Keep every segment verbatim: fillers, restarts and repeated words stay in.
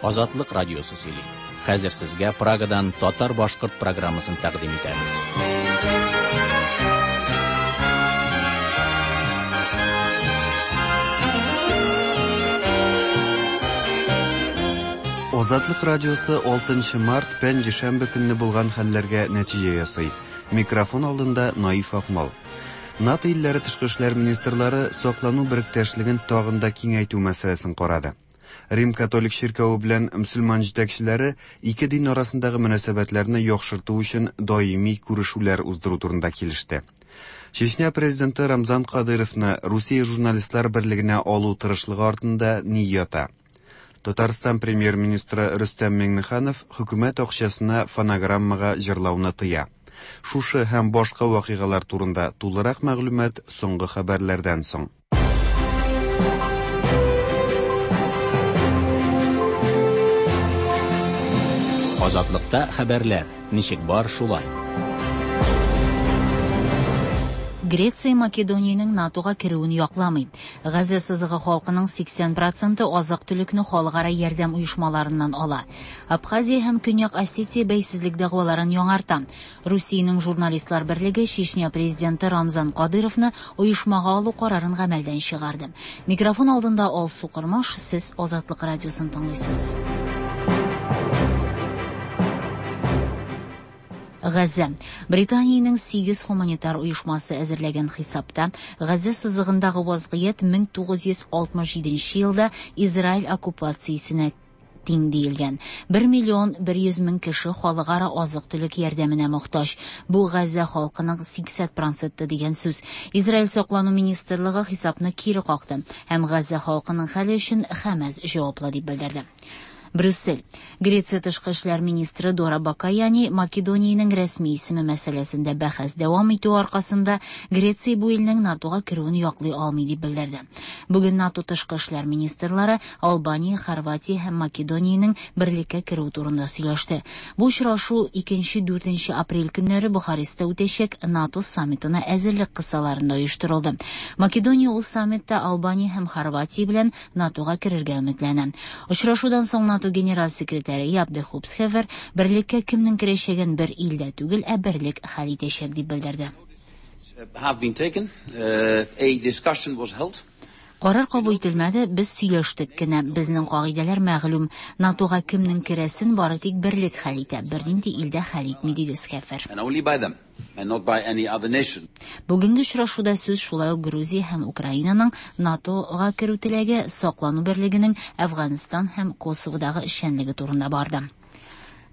Азатлык радиосы сөйли. Хәзер сезгә Прагадан татар-башкорт программасын тәкъдим итәбез. Азатлык радиосы алтынчы март пәнҗешәмбе көнне булган хәлләргә нәтиҗә ясый. Микрофон алдында Наиф Акмал. НАТО илләре тышкы эшләр министрлары саклану беректәшлеген тагын да киңәйтү мәсьәләсен карады. Рим католик чиркәве белән мөселман җитәкчеләре ике дин арасындагы мөнәсәбәтләрне яхшырту өчен даими күрешүләр уздыру турында килеште. Чечня президенты Рамзан Кадыровны Русия журналистлар берлегенә алу тырышлыгы артында ни ята? Татарстан премьер-министры Рөстәм Миңнеханов хөкүмәт акчасына фонограммага җырлауны тыя. Шушы һәм башка вакыйгалар турында тулырак мәгълүмат соңгы хәбәрләрдән соң. Азатлыкта хәбәрләр ничек бар шулай. Греция Македониянең НАТОга керүен якламый. Газа сызыгы халкының сиксән проценты азык-төлекне халыкара ярдәм оешмаларыннан ала. Абхазия һәм Көньяк Осетия бәйсезлек дәгъваларын яңарта. Русиянең журналистлар берлеге Чечня президенты Рамзан Кадыровны оешмага алу карарын гамәлдән чыгарды. Микрофон алдында Алсу Кырмаш, сез Азатлык радиосын тыңлыйсыз. Газа. Британиянең сигез гуманитар оешмасы әзерләгән хисапта Газа сызыгындагы вазгыять мең тугыз йөз алтмыш җиденче елда Израиль оккупациясенә тиң диелгән. Бер миллион бер йөз мең кеше халыкара азык-төлек ярдәменә мохтаҗ. Бу Газа халкының сиксән проценты дигән сүз. Израиль саклану министрлыгы хисапны кире какты һәм Газа халкының хәле өчен Хәмәс җаваплы дип белдерде. Брюссель. Греция тышкы эшләр министры Дора Бакаяни Македониянең рәсми исеме мәсьәләсендә бәхәс дәвам итү аркасында Греция бу илнең НАТОга керүен яклый алмый дип белдерде. Бүген НАТО тышкы эшләр министрлары Албания, Хорватия һәм Македониянең берлеккә керү турында сөйләште. Бу очрашу икенче-дүртенче апрель көннәре Бухарестта үтәчәк НАТО саммитына әзерлек кысаларында оештырылды. Македония ул саммитта Албания һәм Хорватия белән НАТОга керергә өметләнә. Очрашудан соң НАТО генераль секретаре Яп де Хупсхевер берлеккә кемнең керәчәген бер илдә түгел, ә берлек хәл итәчәк дип белдерде. Have been taken. Uh, a discussion was held. Карар кабул ителмәде, без сөйләштек кенә. Безнең кагыйдәләр мәгълүм. НАТОга кемнең керәсен бары тик берлек хәл итә, бернинди илдә хәл итми, диде Схефер. And only by them, and not by any other nation. Бүгенге очрашуда сүз шулай ук Грузия һәм Украинаның НАТОга керү теләге, саклану берлегенең Әфганстан һәм Косоводагы эшчәнлеге турында барды.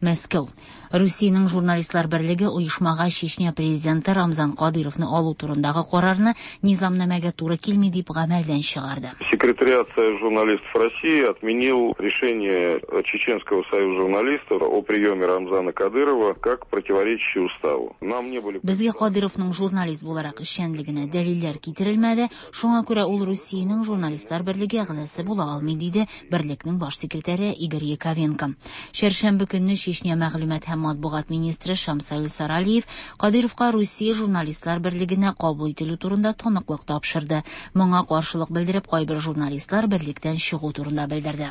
Мәскәү. Русиянең журналистлар берлеге оешмага Чечня президенты Рамзан Кадыровны алу турындагы карарны низамнамәгә туры килми дип гамәлдән чыгарды. Секретариат Союза журналистов России отменил решение Чеченского союза журналистов о приеме Рамзана Кадырова как противоречащее уставу. Нам не были Безгә Кадыровның журналист буларак эшчәнлегенә дәлилләр китерелмәде, шуңа күрә ул Русиянең журналистлар берлеге әгъзасы була алмый, диде берлекнең баш секретаре Игорь Яковенко. Чәршәмбе көнне Чечня мәгълүмат һәм матбугат министры Шамсаил Саралиев Кадыровка Русия журналистлар берлегенә кабул ителү турында таныклык тапшырды. Моңа каршылык белдереп, кайбер журналистлар берлектән чыгу турында белдерде.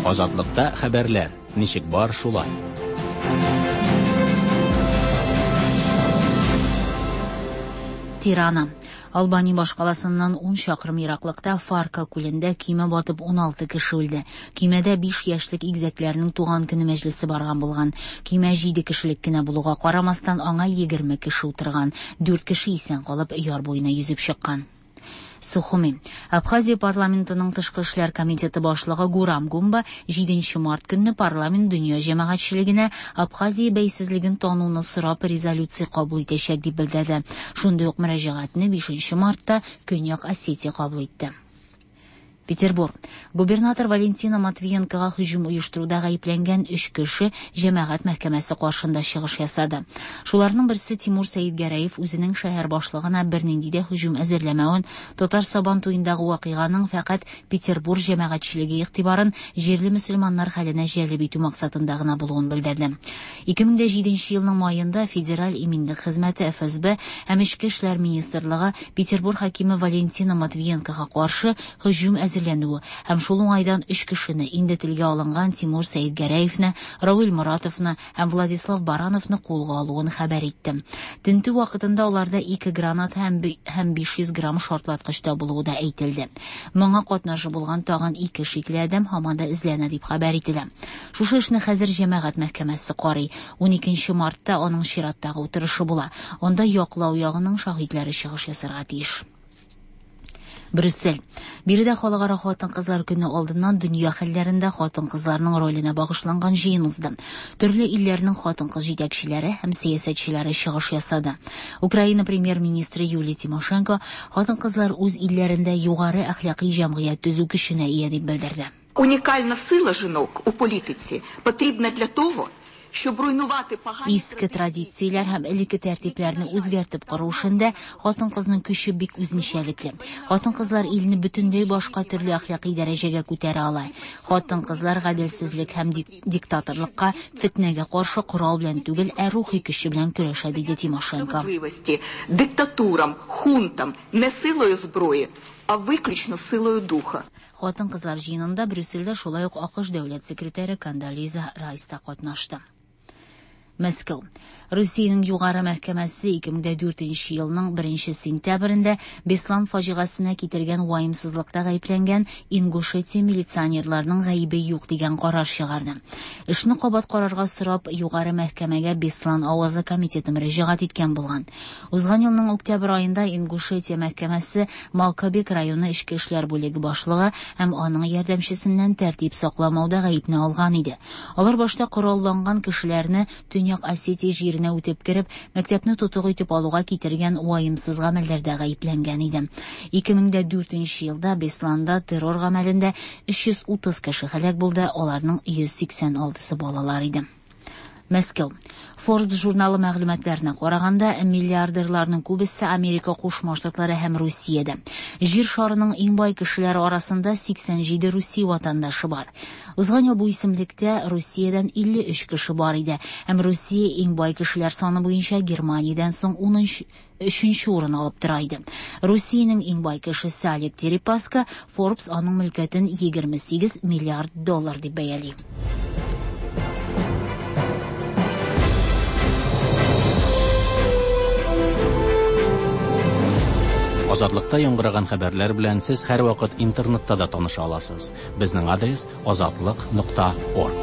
Азатлыкта хәбәрләр ничек бар шулай. Тирана. Албания башкаласыннан ун чакрым ераклыкта Фарка күлендә көймә батып ун алты кеше үлде. Көймәдә биш яшьлек игезәкләрнең туган көне мәҗлесе барган булган. Көймә җиде кешелек кенә булуга карамастан аңа егерме кеше утырган. Дүрт кеше исән калып яр буена йөзеп чыккан. Сухуми. Абхазия парламентының тышкы эшләр комитеты башлыгы Гурам Гумба җиденче март көнне парламент дөнья җәмәгатьчелегенә Абхазия бәйсезлеген тануны сорап резолюция кабул итәчәк дип белдерде. Шундый ук мөрәҗәгатьне бишенче мартта Көньяк Осетия кабул итте. Петербург. Губернатор Валентина Матвиенкога һөҗүм оештыруда гаепләнгән өч кеше җәмәгать мәхкәмәсе каршында чыгыш ясады. Шуларның берсе Тимур Сәидгәрәев үзенең шәһәр башлыгына бернинди дә һөҗүм әзерләмәвен, Татар Сабан туендагы вакыйганың фәкать Петербург җәмәгатьчелеге игътибарын җирле мөселманнар хәленә җәлеп итү максатында гына булуын белдерде. Ике мең дә җиденче елның маенда Федераль иминлек хезмәте Эф Эс Б һәм Эчке эшләр министрлыгы Петербург хакиме Валентина Матвиенкога каршы һөҗүм әзерләнүе һәм шул уңайдан өч кешене, инде телгә алынган Тимур Сәетгәрәевне, Равил Моратовны һәм Владислав Барановны кулга алуын хәбәр итте. Тентү вакытында аларда ике граната һәм һәм биш йөз грамм шартлаткыч табылуы да әйтелде. Моңа катнашы булган тагын ике шикле адәм һаман да эзләнә дип хәбәр ителә. Шушы эшне хәзер җәмәгать мәхкәмәсе карый. ун икенче мартта аның чираттагы утырышы була. Анда яклау ягының шаһитләре чыгыш ясарга тиеш. Брюссель. Биредә халыкара хатын-кызлар көне алдыннан дөнья хәлләрендә хатын-кызларның роленә багышланган җыен узды. Төрле илләрнең хатын-кыз җитәкчеләре һәм сәясәтчеләре чыгыш ясады. Украина премьер-министры Юлия Тимошенко хатын-кызлар үз илләрендә югары әхлакый җәмгыять төзү көченә ия дип белдерде. Уникальна сила жінок у політиці потрібна для того, щоб руйнувати погані Иске традицияләр һәм элекке тәртипләрне үзгәртеп кору эшендә хатын-кызның көче бик үзенчәлекле. Хатын-кызлар илне бөтенләй башка төрле әхлакый дәрәҗәгә күтәрә ала. Хатын-кызлар гаделсезлек һәм диктаторлыкка, фетнәгә каршы корал белән түгел, ә рухи көче белән көрәшә, диде Тимошенко. Диктатурам, хунтам не силою зброї, а виключно силою духа. Хатын-кызлар җыенында Брюссельдә шулай ук АКШ дәүләт секретаре Кондолиза Райс та катнашты. Мәскәү. Русиянең югары мәхкәмәсе ике мең дүртенче елның беренче сентябрендә Беслан фаҗигасенә китергән ваемсызлыкта гаепләнгән Ингушетия милиционерларының гаебе юк дигән карар чыгарды. Эшне кабат карарга сорап югары мәхкәмәгә Беслан авазы комитеты мөрәҗәгать иткән булган. Узган елның октябрь аенда Ингушетия мәхкәмәсе Малкабек районы эчке эшләр бүлеге башлыгы һәм аның ярдәмчесеннән тәртип сакламауда гаепне алган иде. Алар башта коралланган кешеләрне Төньяк Осетия җиренә үтеп кереп, мәктәпне тотык итеп алуга китергән ваемсыз гамәлләрдә гаепләнгән иде. ике мең дүртенче елда Бесланда террор гамәлендә өч йөз утыз кеше һәлак булды, аларның йөз сиксән алтысы балалар иде. Мәскәү. Forbes журналы мәгълүматларына караганда, миллиардерларның күбесе Америка Кушма Штатлары һәм Русиядә. Җир шарының иң бай кешеләре арасында сиксән җиде Русия ватандашы бар. Узган ел бу исемлектә Русиядән илле өч кеше бар иде, һәм Русия иң бай кешеләр саны буенча Германиядән соң унынчы өченче урын алып тора иде. Русиянең иң бай кешесе Олег Дерипаска, Forbes аның мөлкәтен егерме сигез миллиард доллар дип бәяли. Азатлыкта яңгыраган хәбәрләр белән сез һәрвакыт интернетта да таныша аласыз. Безнең адрес азатлык нокта орг.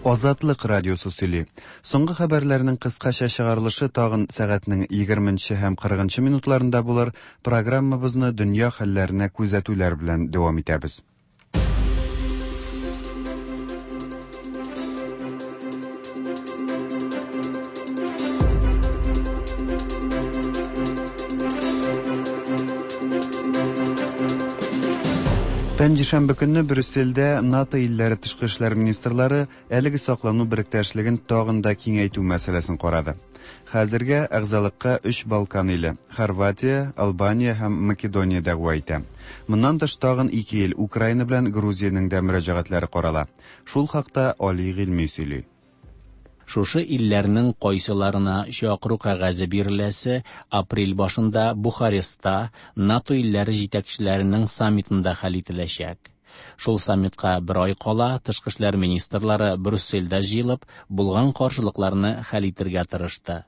Азатлык радиосы сөйли. Соңгы хәбәрләрнең кыскача чыгарылышы тагын сәгатьнең егерменче һәм кырыгынчы минутларында булыр. Программабызны дөнья хәлләренә күзәтүләр белән дәвам итәбез. Пәнҗешәмбе көнне Брюссельдә НАТО илләре тышкы эшләр министрлары әлеге саклану беректәшлеген тагын да киңәйтү мәсьәләсен карады. Хәзергә әгъзалыкка өч Балкан иле Хорватия, Албания һәм Македония дәгъва итә. Моннан тыш тагын ике ил Украина белән Грузиянең дә мөрәҗәгатьләре карала. Шул хакта Али Гыйльми сөйли. Шушы илләрнең кайсыларына чакыру кәгазе биреләсе апрель башында Бухарестта НАТО илләре җитәкчеләренең саммитында хәл ителәчәк. Шул саммитка бер ай кала тышкы эшләр министрлары Брюссельдә җыелып, булган каршылыкларны хәл итергә тырышты.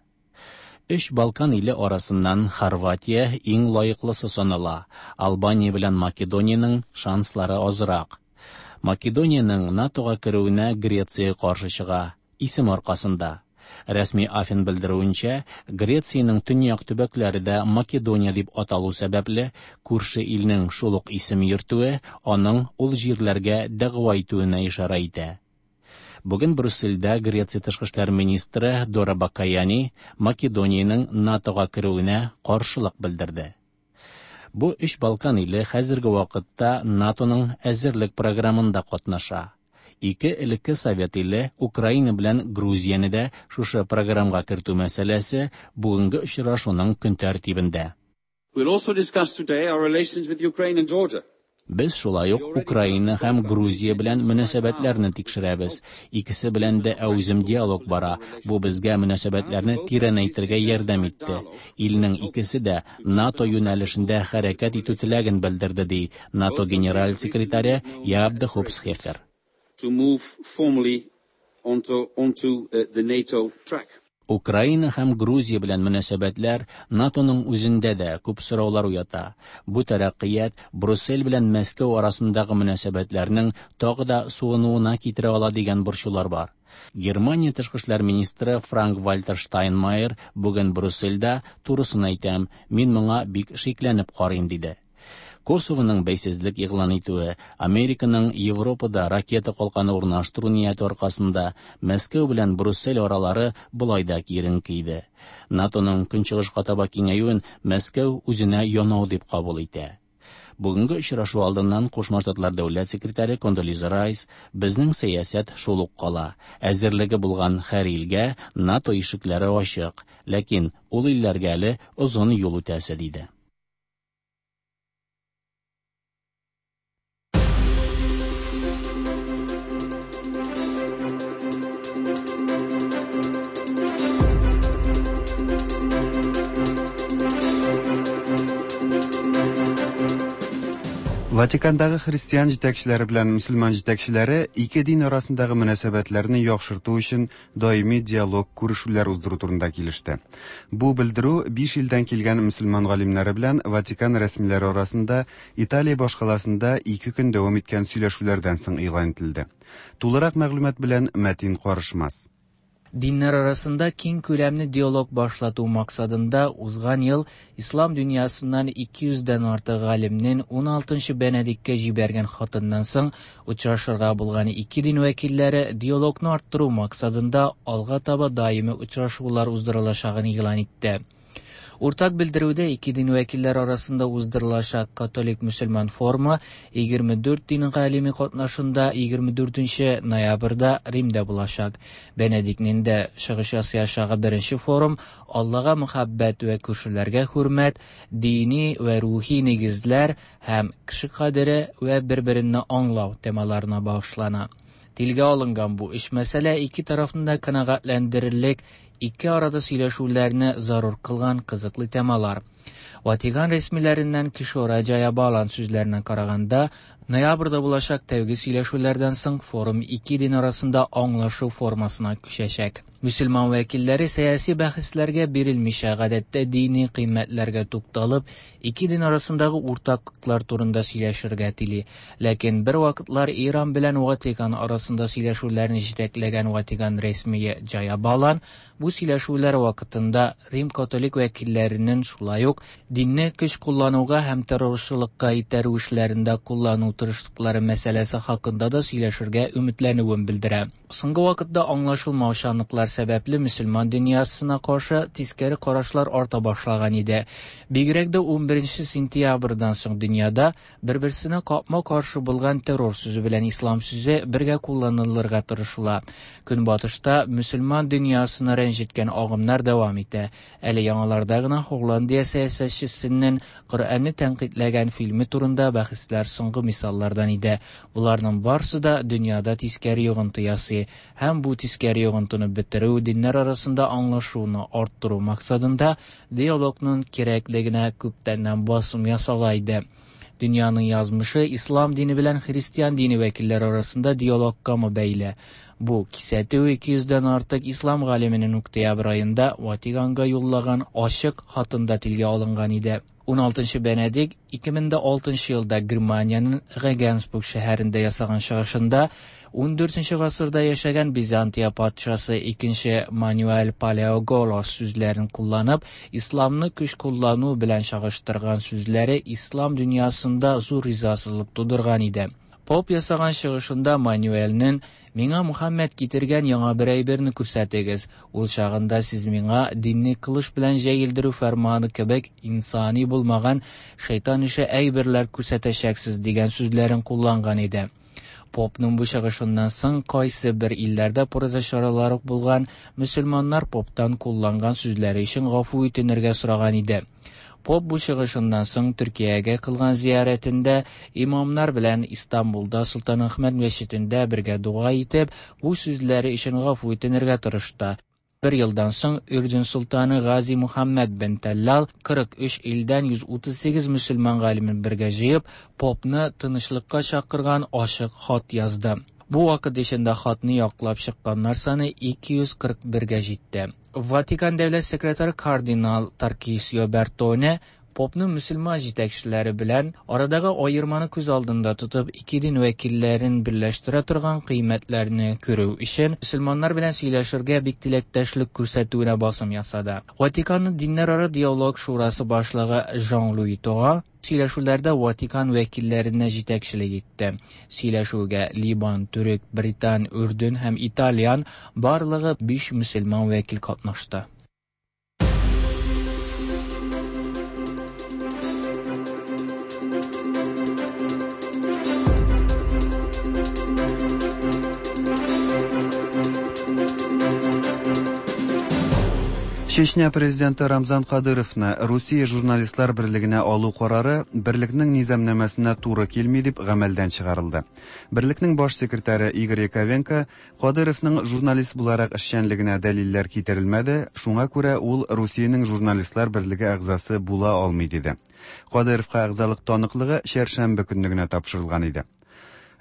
Өч Балкан иле арасыннан Хорватия иң лаеклысы санала. Албания белән Македониянең шанслары азрак. Македониянең НАТОга керүенә Греция каршы чыга. Исем аркасында. Рәсми Афин белдерүенчә, Грециянең төньяк төбәкләре дә Македония дип аталу сәбәпле, күрше илнең шул ук исем йөртүе аның ул җирләргә дәгъва итүенә ишарә итә. Бүген Брюссельдә Греция тышкы эшләр министры Дора Бакаяни Македониянең НАТОга керүенә каршылык белдерде. Бу өч Балкан иле хәзерге вакытта НАТОның әзерлек программында катнаша. Ике элекке совет иле Украина белән Грузияне дә шушы программага кертү мәсьәләсе бүгенге очрашуның көн тәртибендә. We'll also discuss today our relations with Ukraine and Georgia. Без шулай ук Украина һәм Грузия белән мөнәсәбәтләрне тикшерәбез. Икесе белән дә әүзем диалог бара. Бу безгә мөнәсәбәтләрне тирәнәйтергә ярдәм итте. Илнең икесе дә НАТО юнәлешендә хәрәкәт итү теләген белдерде, ди НАТО генераль секретаре Яап де Хоп Схефер. To move formally onto, onto the NATO track. Украина һәм Грузия белән мөнәсәбәтләр НАТОның үзендә дә күп сораулар уята. Бу тәрәккыят Брюссель белән Мәскәү арасындагы мөнәсәбәтләрнең тагы да суынуына китерә ала дигән борчулар бар. Германия тышкы эшләр министры Франк-Вальтер Штайнмайер бүген Брюссельдә турысын әйтәм, мин моңа бик шикләнеп карыйм диде. Косовоның бәйсезлек игълан итүе, Американың Европада ракета калканы урнаштыру нияте аркасында Мәскәү белән Брюссель аралары болай да киеренке иде. НАТОның көнчыгышка таба киңәюен Мәскәү үзенә янау дип кабул итә. Бүгенге очрашу алдыннан Кушма Штатлар дәүләт секретаре Кондолиза Райс безнең сәясәт шул ук кала. Әзерлеге булган һәр илгә НАТО ишекләре ачык, ләкин ул илләргә әле озын юл үтәсе диде. Ватикандагы христиан җитәкчеләре белән мөселман җитәкчеләре ике дин арасындагы мөнәсәбәтләрне яхшырту өчен даими диалог күрешүләр уздыру турында килеште. Бу белдерү биш илдән килгән мөселман галимнәре белән Ватикан рәсмиләре арасында Италия башкаласында ике көн дәвам иткән сөйләшүләрдән соң игълан ителде. Тулырак мәгълүмат белән Мәтин Карышмас. Dinler arasında keng күләмле диалог башлату максатында узган ел ислам дөньясыннан ике йөздән артык галимнең ун алтынчы Бенедиктка җибәргән хатыннан соң очрашырга булган ике дин вәкилләре диалогны арттыру максатында алга таба даими очрашулар уздырылачагын игълан итте. Уртак белдерүдә ике дин вәкилләре арасында уздырылачак католик мөселман форумы егерме дүрт дин галиме катнашында егерме дүртенче ноябрьдә Римдә булачак. Бенедиктның дә чыгыш ясаячагы беренче форум Аллага мөхәббәт вә күршеләргә хөрмәт, дини вә рухи нигезләр һәм кеше кадере вә бер-беренне аңлау темаларына багышлана. Телгә алынган бу өч мәсьәлә ике тарафны да канәгатьләндерерлек, ике арада сөйләшүләрне зарур кылган кызыклы темалар. Ватикан рәсмиләреннән Кишора Джаябалан сүзләренә караганда, ноябрьдә булачак тәүге сөйләшүләрдән соң форум ике дин арасында аңлашу формасына күчәчәк. Мөселман вәкилләре сәяси бәхәсләргә бирелмичә гадәттә дини кыйммәтләргә тукталып, ике дин арасындагы уртаклыклар турында сөйләшергә тели. Ләкин бер вакытлар Иран белән Ватикан арасында сөйләшүләрне җитәкләгән Ватикан рәсмие Джаябалан бу сөйләшүләр вакытында Рим католик вәкилләренең шулай ук динне көч куллануга һәм террорчылыкка итәрү эшләрендә куллану тырышлыклары мәсьәләсе хакында да сөйләшергә өметләнүен белдерә. Соңгы вакытта аңлашылмаучанлыклар сәбәпле мөселман дөньясына каршы тискәре карашлар арта башлаган иде. Бигрәк дә ун беренче сентябрьдән соң дөньяда бер-берсенә капма-каршы булган террор сүзе белән ислам сүзе бергә кулланылырга тырышыла. Көнбатышта мөселман дөньясына рәнҗеткән агымнар дәвам итә. Әле яңаларда гына Һолландия сәясәтчесенең Коръәнне тәнкыйтьләгән фильме турында бәхәсләр соңгы мисаллардан иде. Буларның барсы да дөньяда тискәре йогынты ясый һәм бу тискәре йогынтыны бетерү, диннәр арасында аңлашуны арттыру максатында диалогның кирәклегенә күптәннән басым ясала иде. Дөньяның язмышы ислам дине белән христиан дине вәкилләре арасында диалогка бәйле. Бу кисәтү ике йөздән артык ислам галименең октябрь аенда Ватиканга юллаган ачык хатында телгә алынган иде. ун алтынчы Бенедикт ике мең дә алтынчы елда Германиянең Регенсбург шәһәрендә ясаган чыгышында ун дүртенче гасырда яшәгән Византия патшасы икенче Мануэль Палеоголос сүзләрен кулланып, исламны көч куллану белән чагыштырган сүзләре ислам дөньясында зур ризасызлык тудырган иде. Поп ясаган чыгышында Мануэльнең «Миңа Мухаммед китергән яңа бер әйберне күрсәтегез. Ул чагында сез миңа динне кылыч белән җәелдерү фәрманы кебек инсани булмаган шайтан ише әйберләр күрсәтәчәксез» дигән сүзләрен кулланган иде. Попның бу чыгышыннан соң кайсы бер илләрдә протест чаралары булган мөселманнар поптан кулланган сүзләре өчен гафу үтенергә сораган иде. Поп бу чыгышыннан соң Төркиягә кылган зиярәтендә имамнар белән Истанбулда Солтанәхмәт мәчетендә бергә дога итеп, бу сүзләре өчен гафу үтенергә тырышты. Бер елдан соң Үрдүн солтаны Гази Мухаммед бен Таллал кырык өч илдән йөз утыз сигез мөселман галимен бергә җыеп, попны тынычлыкка чакырган ачык хат язды. Бу вакыт эчендә хатны яклап чыкканнар саны ике йөз кырык бергә җитте. Ватикан дәүләт секретаре кардинал Таркисио Бертоне попның мөселман җитәкчеләре белән арадагы аерманы күз алдында тотып, ике дин вәкилләрен берләштерә торган кыйммәтләрне күрү өчен мөселманнар белән сөйләшергә бик теләктәшлек күрсәтүенә басым ясады. Ватиканның диннәрара диалог шурасы башлыгы Жан-Луи Тора сөйләшүләрдә Ватикан вәкилләренә җитәкчелек итте. Сөйләшүгә Либан, Төрек, Британ, Үрдүн һәм Итальян барлыгы биш мөселман вәкил катнашты. Чечня президенты Рамзан Кадыровны Русия журналистлар берлегенә алу карары берлекнең низамнамәсенә туры килми дип гамәлдән чыгарылды. Берлекнең баш секретаре Игорь Яковенко Кадыровның журналист буларак эшчәнлегенә дәлилләр китерелмәде, шуңа күрә ул Русиянең журналистлар берлеге әгъзасы була алмый диде. Кадыровка әгъзалык таныклыгы чәршәмбе көнне генә тапшырылган иде.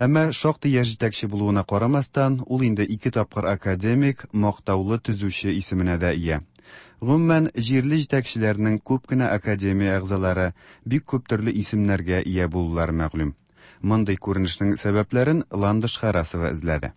Әмма шактый яшь җитәкче булуына карамастан, ул инде ике тапкыр академик, мактаулы төзүче исеменә дә ия. Гомумән, җирле җитәкчеләрнең күп кенә академия әгъзалары бик күп төрле исемнәргә ия булулары мәгълүм. Мондый күренешнең сәбәпләрен Ландыш Харасова эзләде.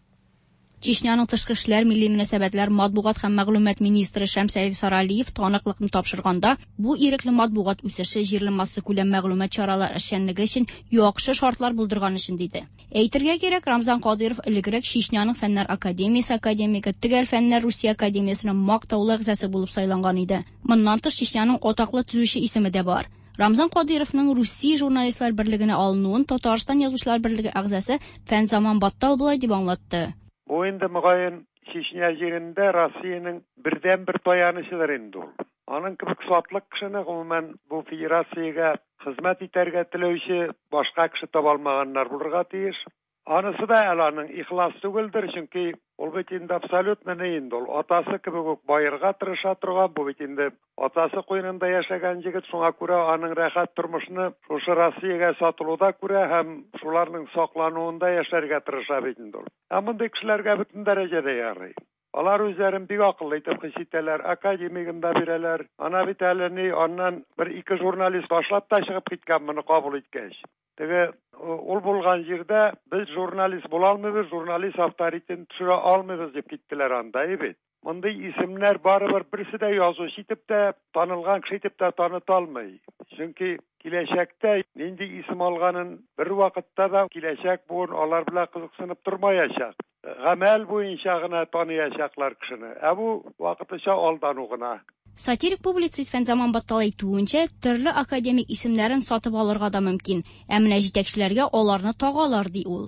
Чечняның тышкы эшләр, милли мөнәсәбәтләр, матбугат һәм мәгълүмат министры Шәмсәлил Саралиев таныклыкны тапшырганда, бу ирекле матбугат үсеше җирле массакүләм мәгълүмат чаралары эшчәнлеге өчен яхшы шартлар булдырган өчен диде. Әйтергә кирәк, Рамзан Кадыров элегрәк Чечняның Фәннәр академиясе академигы, Төгәл фәннәр Русия академиясенең мактаулы әгъзасы булып сайланган иде. Моннан тыш Чечняның атаклы төзүче исеме дә бар. Рамзан Кадыровның Русия журналистлар берлегенә алынуын Татарстан язучылар берлеге әгъзасы Фәнзаман Баттал болай дип аңлатты. Бу инде мөгаен Чечня җирендә Россиянең бердән-бер таянычыдыр инде ул. Аның кебек сатлык кешене гомумән бу федерациягә хезмәт итәргә теләүче башка кеше таба алмаганнар булырга тиеш. Анысы да әле аның ихлас түгелдер, чөнки ул бит инде абсолютно ни инде ул атасы кебек үк баерга тырыша торган, бу бит инде атасы куенында яшәгән егет, шуңа күрә аның рәхәт тормышны шушы Россиягә сатылуда күрә һәм шуларның саклануында яшәргә тырыша бит инде ул. Ә мондый кешеләргә бөтен дәрәҗәдә ярый. Алар үзләрен бик акыллы итеп хис итәләр, академигын да бирәләр. Ана бит әле ни, аннан бер ике журналист башлап та чыгып киткән моны кабул иткәч. Теге ул булган җирдә без журналист була алмыйбыз, журналист авторитетын төшерә алмыйбыз дип киттеләр анда, бит. Мондый исемнәр барыбер берсе дә язучы итеп тә, танылган кеше итеп тә таныта алмый. Чөнки киләчәктә нинди исем алганын бер вакытта да киләчәк буын алар белән кызыксынып тормаячак. Гамәл буенча гына таныячаклар кешене. Ә бу вакытлыча алдану гына. Сатирик публицист Фәнзаман Баттал әйтүенчә, төрле академик исемнәрен сатып алырга да мөмкин. Ә менә җитәкчеләргә аларны тагалар, ди ул.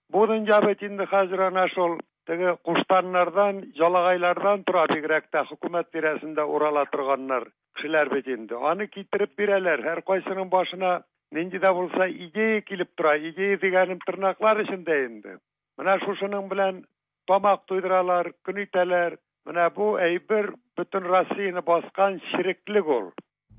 Бу дөнья бит инде хәзер ана шул теге куштаннардан, жалагайлардан тора, бигрәк тә хөкүмәт тирәсендә урала торганнар кешеләр бит инде. Аны китереп бирәләр. Һәр кайсының башына нинди дә булса идея килеп тора. Идея дигәнем тырнаклар эчендә инде. Менә шушының белән тамак туйдыралар, көн итәләр. Менә бу әйбер бөтен Россияне баскан ширеклек ул.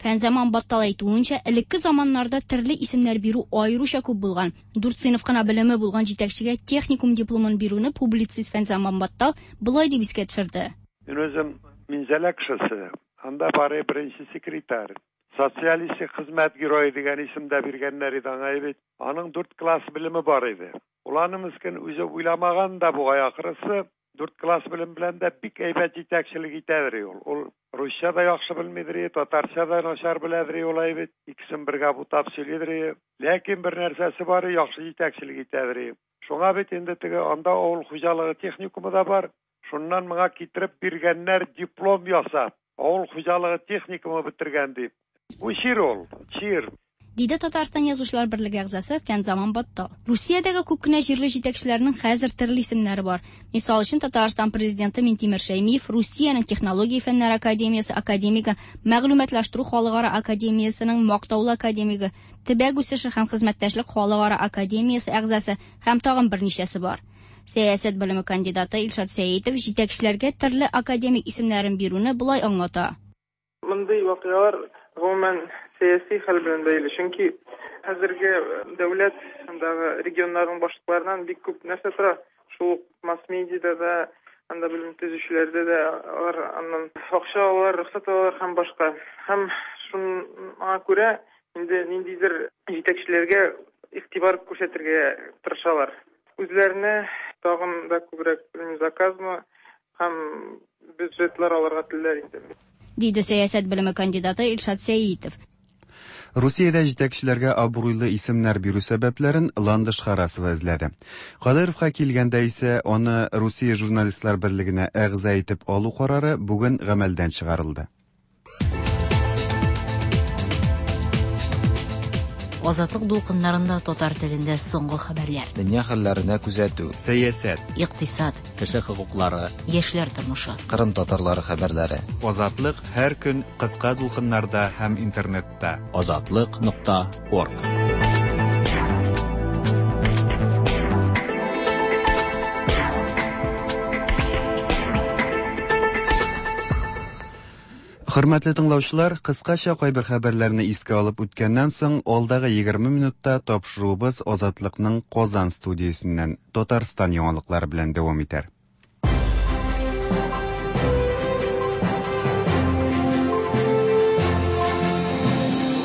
Фәнзаман Баттал әйтүенчә, элекке заманнарда төрле исемнәр бирү аеруча күп булган. Дүрт сыйныф кына белеме булган җитәкчегә техникум дипломын бирүне публицист Фәнзаман Баттал болай дип искә төшерде. Мин үзем Минзәлә кешесе, анда бары беренче секретарь. Социалистик хезмәт герое дигән исем дә биргәннәр иде аңа бит. Аның дүрт класс белеме бар иде. Ул аны мескен үзе уйламаган да бугай ахрысы. Дүрт класс белем белән дә бик әйбәт җитәкчелек итәдер ул. Ул русча да яхшы белмидер, татарча да начар беләдер ул бит. Икесен бергә бутап сөйлидер. Ләкин бер нәрсәсе бар, яхшы җитәкчелек итәдер. Шуңа бит инде теге анда авыл хуҗалыгы техникумы да бар. Шуннан моңа китереп биргәннәр диплом ясап, авыл хуҗалыгы техникумы бетергән дип. Бу чир ул, чир. Диде Татарстан Язучылар берлеге әгъзасы Фәнзаман Баттал. Русиядәге күп кенә җирле җитәкчеләрнең хәзер төрле исемнәре бар. Мисал өчен, Татарстан президенты Минтимер Шәймиев Русиянең Технология фәннәре академиясе академигы, Мәгълүматлаштыру халыкара академиясенең мактаулы академигы, Төбәк үсеше һәм хезмәттәшлек халыкара академиясе әгъзасы һәм тагын берничәсе бар. Сәясәт белеме кандидаты Илшат Сәетов җитәкчеләргә төрле академик исемнәрен бирүне болай аңлата. Мондый вакыйгалар гомумән сәяси хәл белән бәйле, чөнки хәзерге дәүләт андагы регионнарның башлыкларыннан бик күп нәрсә тора. Шул ук масс-медиада да, анда белем төзүчеләрдә дә алар аннан акча алалар, рөхсәт алалар һәм башка. Һәм шуңа күрә инде ниндидер җитәкчеләргә игътибар күрсәтергә тырышалар. Үзләренә тагын да күбрәк заказмы һәм бюджетлар алырга телиләр инде. Диде сәясәт белеме кандидаты Илшат Сәетов. Русиядә җитәкчеләргә абруйлы исемнәр бирү сәбәпләрен Ландыш Харасова эзләде. Кадыровка килгәндә исә аны Русия журналистлар берлегенә әгъза итеп алу карары бүген гамәлдән чыгарылды. Азатлык дулкыннарында татар телендә соңгы хәбәрләр. Дөнья хәлләренә күзәтү. Сәясәт, икътисад, кеше хокуклары, яшьләр тормышы. Кырым татарлары хәбәрләре. Азатлык һәр көн кыска дулкыннарда һәм интернетта. Азатлык нокта орг. Хөрмәтле тыңлаучылар, кыскача кайбер хәбәрләрне искә алып үткәннән соң, алдагы егерме минутта тапшыруыбыз Азатлыкның Казан студиясеннән Татарстан яңалыклары белән дәвам итәр.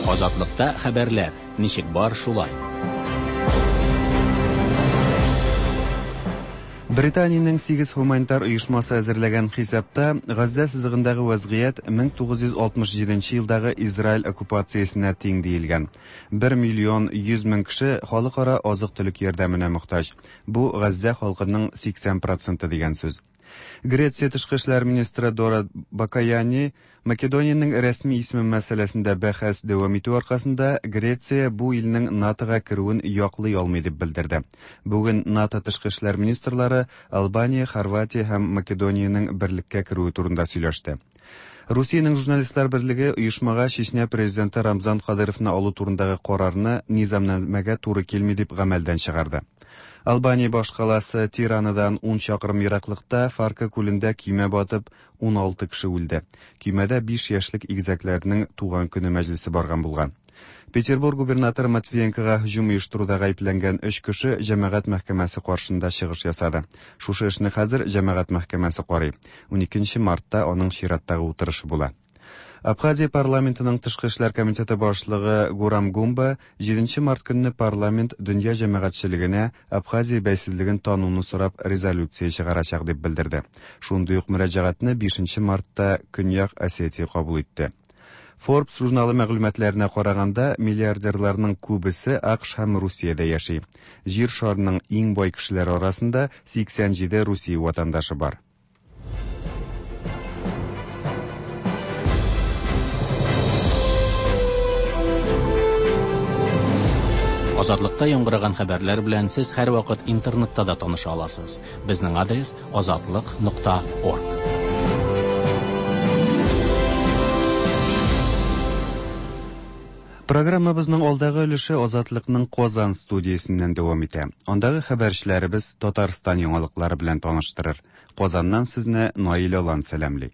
Азатлыкта хәбәрләр ничек бар шулай. Британиянең сигез гуманитар оешмасы әзерләгән хисапта Газзә сызыгындагы вазгыять мең тугыз йөз алтмыш җиденче елдагы Израиль оккупациясенә тиң диелгән. бер миллион йөз мең кеше халыкара азык-төлек ярдәменә мохтаҗ. Бу Газзә халкының сиксән проценты дигән сүз. Греция тышкы эшләр министры Дора Бакаяни Македониянең рәсми исеме мәсьәләсендә бәхәс дәвам итү аркасында Греция бу илнең НАТОга керүен яклый алмый дип белдерде. Бүген НАТО тышкы эшләр министрлары Албания, Хорватия һәм Македониянең берлеккә керүе турында сөйләште. Русиянең журналистлар берлеге оешмага Чечня президенты Рамзан Кадыровны алу турындагы карарны низамнамәгә туры килми дип гамәлдән чыгарды. Албания башкаласы Тиранадан ун чакрым ераклыкта Фарка күлендә көймә батып ун алты кеше үлде. Көймәдә биш яшьлек игезәкләрнең туган көне мәҗлесе барган булган. Петербург губернаторы Матвиенкога һөҗүм оештыруда гаепләнгән өч кеше җәмәгать мәхкәмәсе каршында чыгыш ясады. Шушы эшне хәзер җәмәгать мәхкәмәсе карый. уникенче мартта аның чираттагы утырышы була. Абхазия парламентының тышкы эшләр комитеты башлыгы Гурам Гумба җиденче март көнне парламент дөнья җәмәгатьчелегенә Абхазия бәйсезлеген тануны сорап резолюция чыгарачак дип белдерде. Шундый ук мөрәҗәгатьне бишенче мартта Көньяк Осетия кабул итте. Forbes журналы мәгълүматларына караганда, миллиардерларның күбесе АКШ һәм Русиядә яши. Җир шарының иң бай кешеләре арасында сиксән җиде Русия ватандашы бар. Азатлыкта яңгыраган хәбәрләр белән сез һәрвакыт интернетта да таныша аласыз. Безнең адрес азатлык нокта орг. Программабызның алдагы өлеше Азатлыкның Казан студиясеннән дәвам итә. Андагы хәбәрчеләребез Татарстан яңалыклары белән таныштырыр. Казаннан сезне Наил Алан сәламли.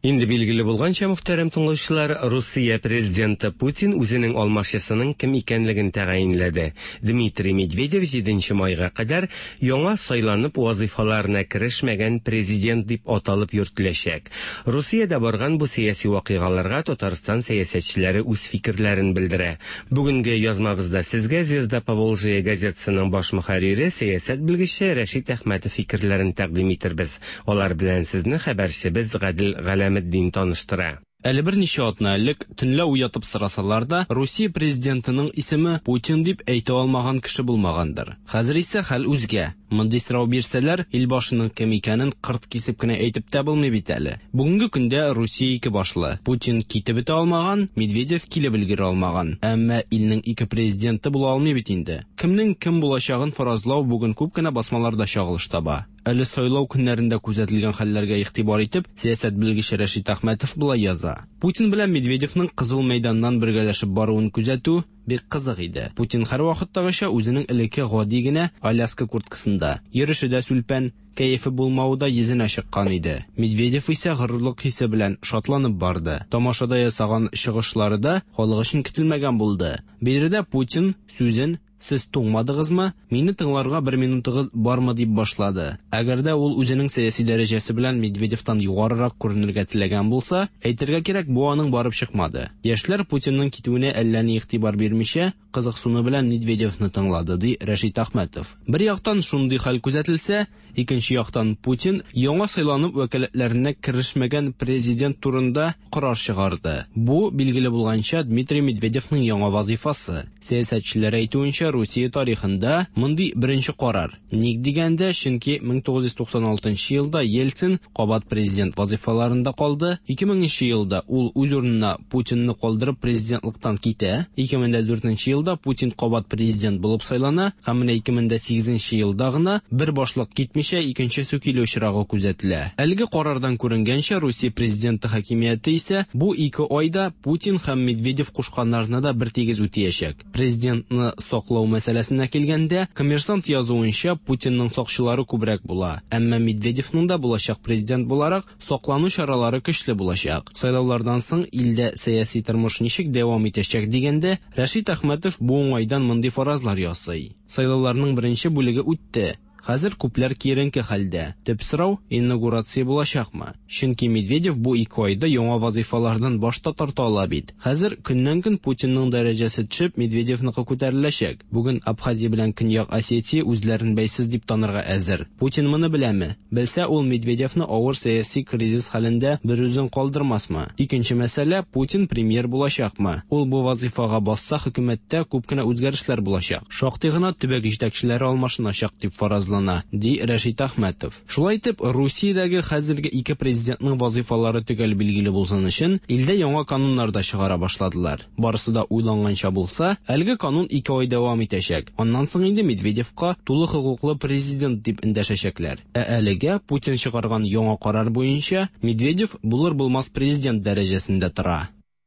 Инде билгеле булганча, мөхтәрәм тыңлаучылар, Русия президенты Путин үзенең алмашчысының кем икәнлеген тәгаенләде. Дмитрий Медведев җиденче майга кадәр яңа сайланып вазифаларына керешмәгән президент дип аталып йөртеләчәк. Русиядә барган бу сәяси вакыйгаларга Татарстан сәясәтчеләре үз фикерләрен белдерә. Бүгенге язмабызда сезгә Звезда Поволжья газетасының баш мөхәррире, сәясәт белгече Рәшит Әхмәтов фикерләрен тәкъдим итербез. Алар белән сезне хәбәрчебез Гадел Галәм Дин таныштыра. Әле берничә атна элек төнлә уятып сорасалар да, Русия президентының исеме Путин дип әйтә алмаган кеше булмагандыр. Хәзер исә хәл үзгә. Мондый сорау бирсәләр, илбашының кем икәнен кырт кисеп кенә әйтеп тә булмый бит әле. Бүгенге көндә Русия ике башлы. Путин китеп бетә алмаган, Медведев килеп өлгерә алмаган. Әмма илнең ике президенты була алмый бит инде. Кемнең кем булачагын фаразлау бүген күп кенә басмаларда чагылыш таба. Әле сайлау көннәрендә күзәтелгән хәлләргә игътибар итеп, сәясәт белгече Рәшит Әхмәтов болай яза. Путин белән Медведевның Кызыл мәйданнан бергәләшеп баруын күзәтү бик кызык иде. Путин һәрвакыттагыча үзенең элекке гади генә Аляска курткасында, йөреше дә сүлпән, кәефе булмавы да йөзенә чыккан иде. Медведев исә горурлык хисе белән шатланып барды. Тамашада ясаган чыгышлары да халык өчен көтелмәгән булды. Биредә Путин сүзен "Сез туңмадыгызмы? Мине тыңларга бер минутыгыз бармы?" дип башлады. Әгәр дә ул үзенең сәяси дәрәҗәсе белән Медведевтан югарырак күренергә теләгән булса, әйтергә кирәк, бу аның барып чыкмады. Яшьләр Путинның китүенә әллә ни игътибар бирмичә, кызыксыну белән Медведевны тыңлады, ди Рәшит Әхмәтов. Бер яктан шундый хәл күзәтелсә, икенче яктан Путин яңа сайланып вәкаләтләренә керешмәгән президент турында карар чыгарды. Бу, билгеле булганча, Дмитрий Медведевның яңа вазифасы. Сәясәтчеләр әйтүенчә, Русия тарихында мондый беренче карар. Ник дигәндә, чөнки мең тугыз йөз туксан алтынчы елда Ельцин кабат президент вазифаларында калды. Ике меңенче елда ул үз урынына Путинны калдырып президентлыктан китә. Ике мең дә дүртенче елда Путин кабат президент булып сайлана һәм менә ике мең дә сигезенче елда гына бер башлык китмичә икенчесе килү очрагы күзәтелә. Әлеге карардан күренгәнчә, Русия президенты хакимияте исә бу ике айда Путин һәм Медведев кушканнарны да бер тигез үтәячәк. Президентны саклау мәсьәләсенә килгәндә, Коммерсант язуынча, Путинның сакчылары күбрәк була. Әмма Медведевның да булачак президент буларак саклану чаралары көчле булачак. Сайлаулардан соң илдә сәяси тормыш ничек дәвам итәчәк дигәндә, Рәшит Әхмәтов бу уңайдан мондый фаразлар ясый. Сайлауларның беренче бүлеге үтте. Хәзер күпләр киеренке хәлдә. Төп сорау инаугурация булачакмы? Чөнки Медведев бу ике айда яңа вазифалардан баш та тарта ала бит. Хәзер көннән-көн Путинның дәрәҗәсе төшеп, Медведевныкы күтәреләчәк. Бүген Абхазия белән Көньяк Осетия үзләрен бәйсез дип танырга әзер. Путин моны беләме? Белсә, ул Медведевны авыр сәяси кризис хәлендә бер үзен калдырмасмы? Икенче мәсьәлә, Путин премьер булачакмы? Ул бу вазифага басса, хөкүмәттә күп кенә үзгәрешләр булачак. Шактый гына төбәк җитәкчеләре алмашыначак дип фаразлана, ди Рәшит Әхмәтов. Шулай итеп, Русиядәге хәзерге ике президентның вазифалары төгәл билгеле булсын өчен илдә яңа кануннар да чыгара башладылар. Барысы да уйланганча булса, әлеге канун ике ай дәвам итәчәк. Аннан соң инде Медведевка тулы хокуклы президент дип эндәшәчәкләр. Ә әлегә Путин чыгарган яңа карар буенча Медведев булыр-булмас президент дәрәҗәсендә тора.